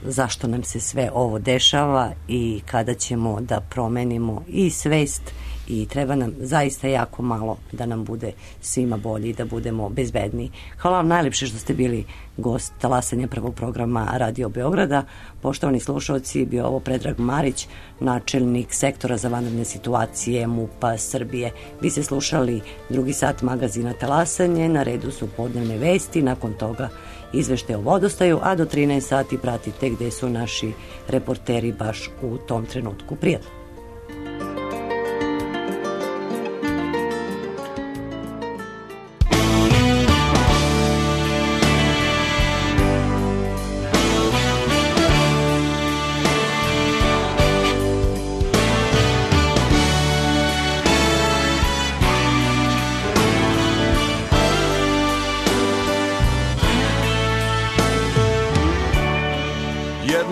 zašto nam se sve ovo dešava i kada ćemo da promenimo i svest i treba nam zaista jako malo da nam bude svima bolji i da budemo bezbedniji. Hvala vam najlepše što ste bili gost talasanja prvog programa Radio Beograda. Poštovani slušalci, bio ovo Predrag Marić, načelnik sektora za vanredne situacije M U P-a Srbije. Vi ste slušali drugi sat magazina Talasanje, na redu su podnevne vesti, nakon toga izvešte o vodostaju, a do trinaest sati pratite gde su naši reporteri baš u tom trenutku. Prijatno.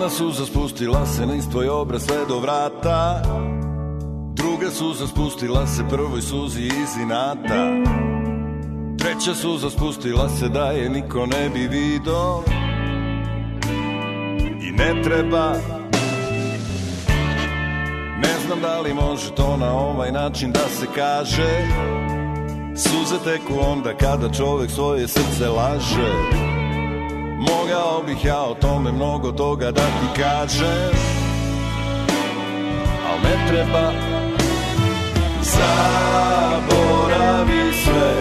Suza spustila se niz tvoj obraz sve do vrata, druga suza spustila se prvoj suzi iz inata, treća suza spustila se da je niko ne bi vidio i ne treba. Ne znam da li može to na ovaj način da se kaže, suze teku onda kada čovek svoje srce laže. Mogao bih ja o tome mnogo toga da ti kažem, al ne treba. Zaboravi sve,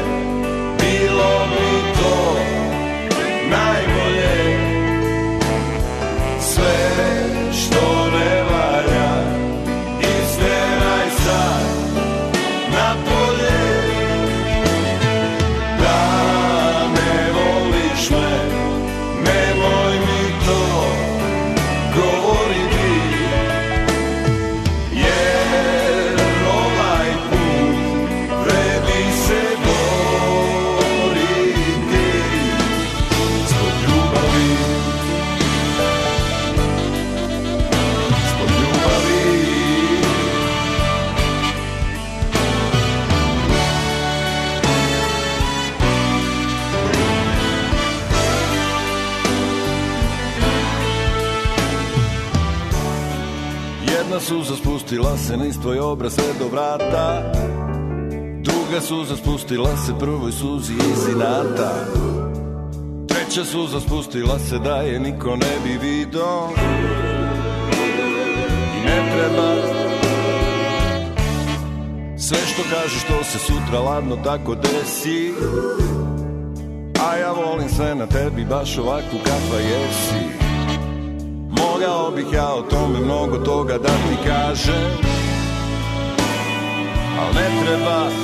bilo mi to najbolje. Sve što ne valja, isteraj sad napolje. Da ne voliš me, nemoj mi to govoriti, jer ovaj put vredi se boriti zbog ljubavi, zbog ljubavi. Jedna suza spustila se niz tvoj obraz sve do vrata, druga suza spustila se prvoj suzi iz inata, treća suza spustila se da je niko ne bi vidio i ne treba. Sve što kažeš to se sutra ladno tako desi. A ja volim sve na tebi baš ovakvu kakva jesi. Mogao bih ja o tome mnogo toga da ti kažem, al ne treba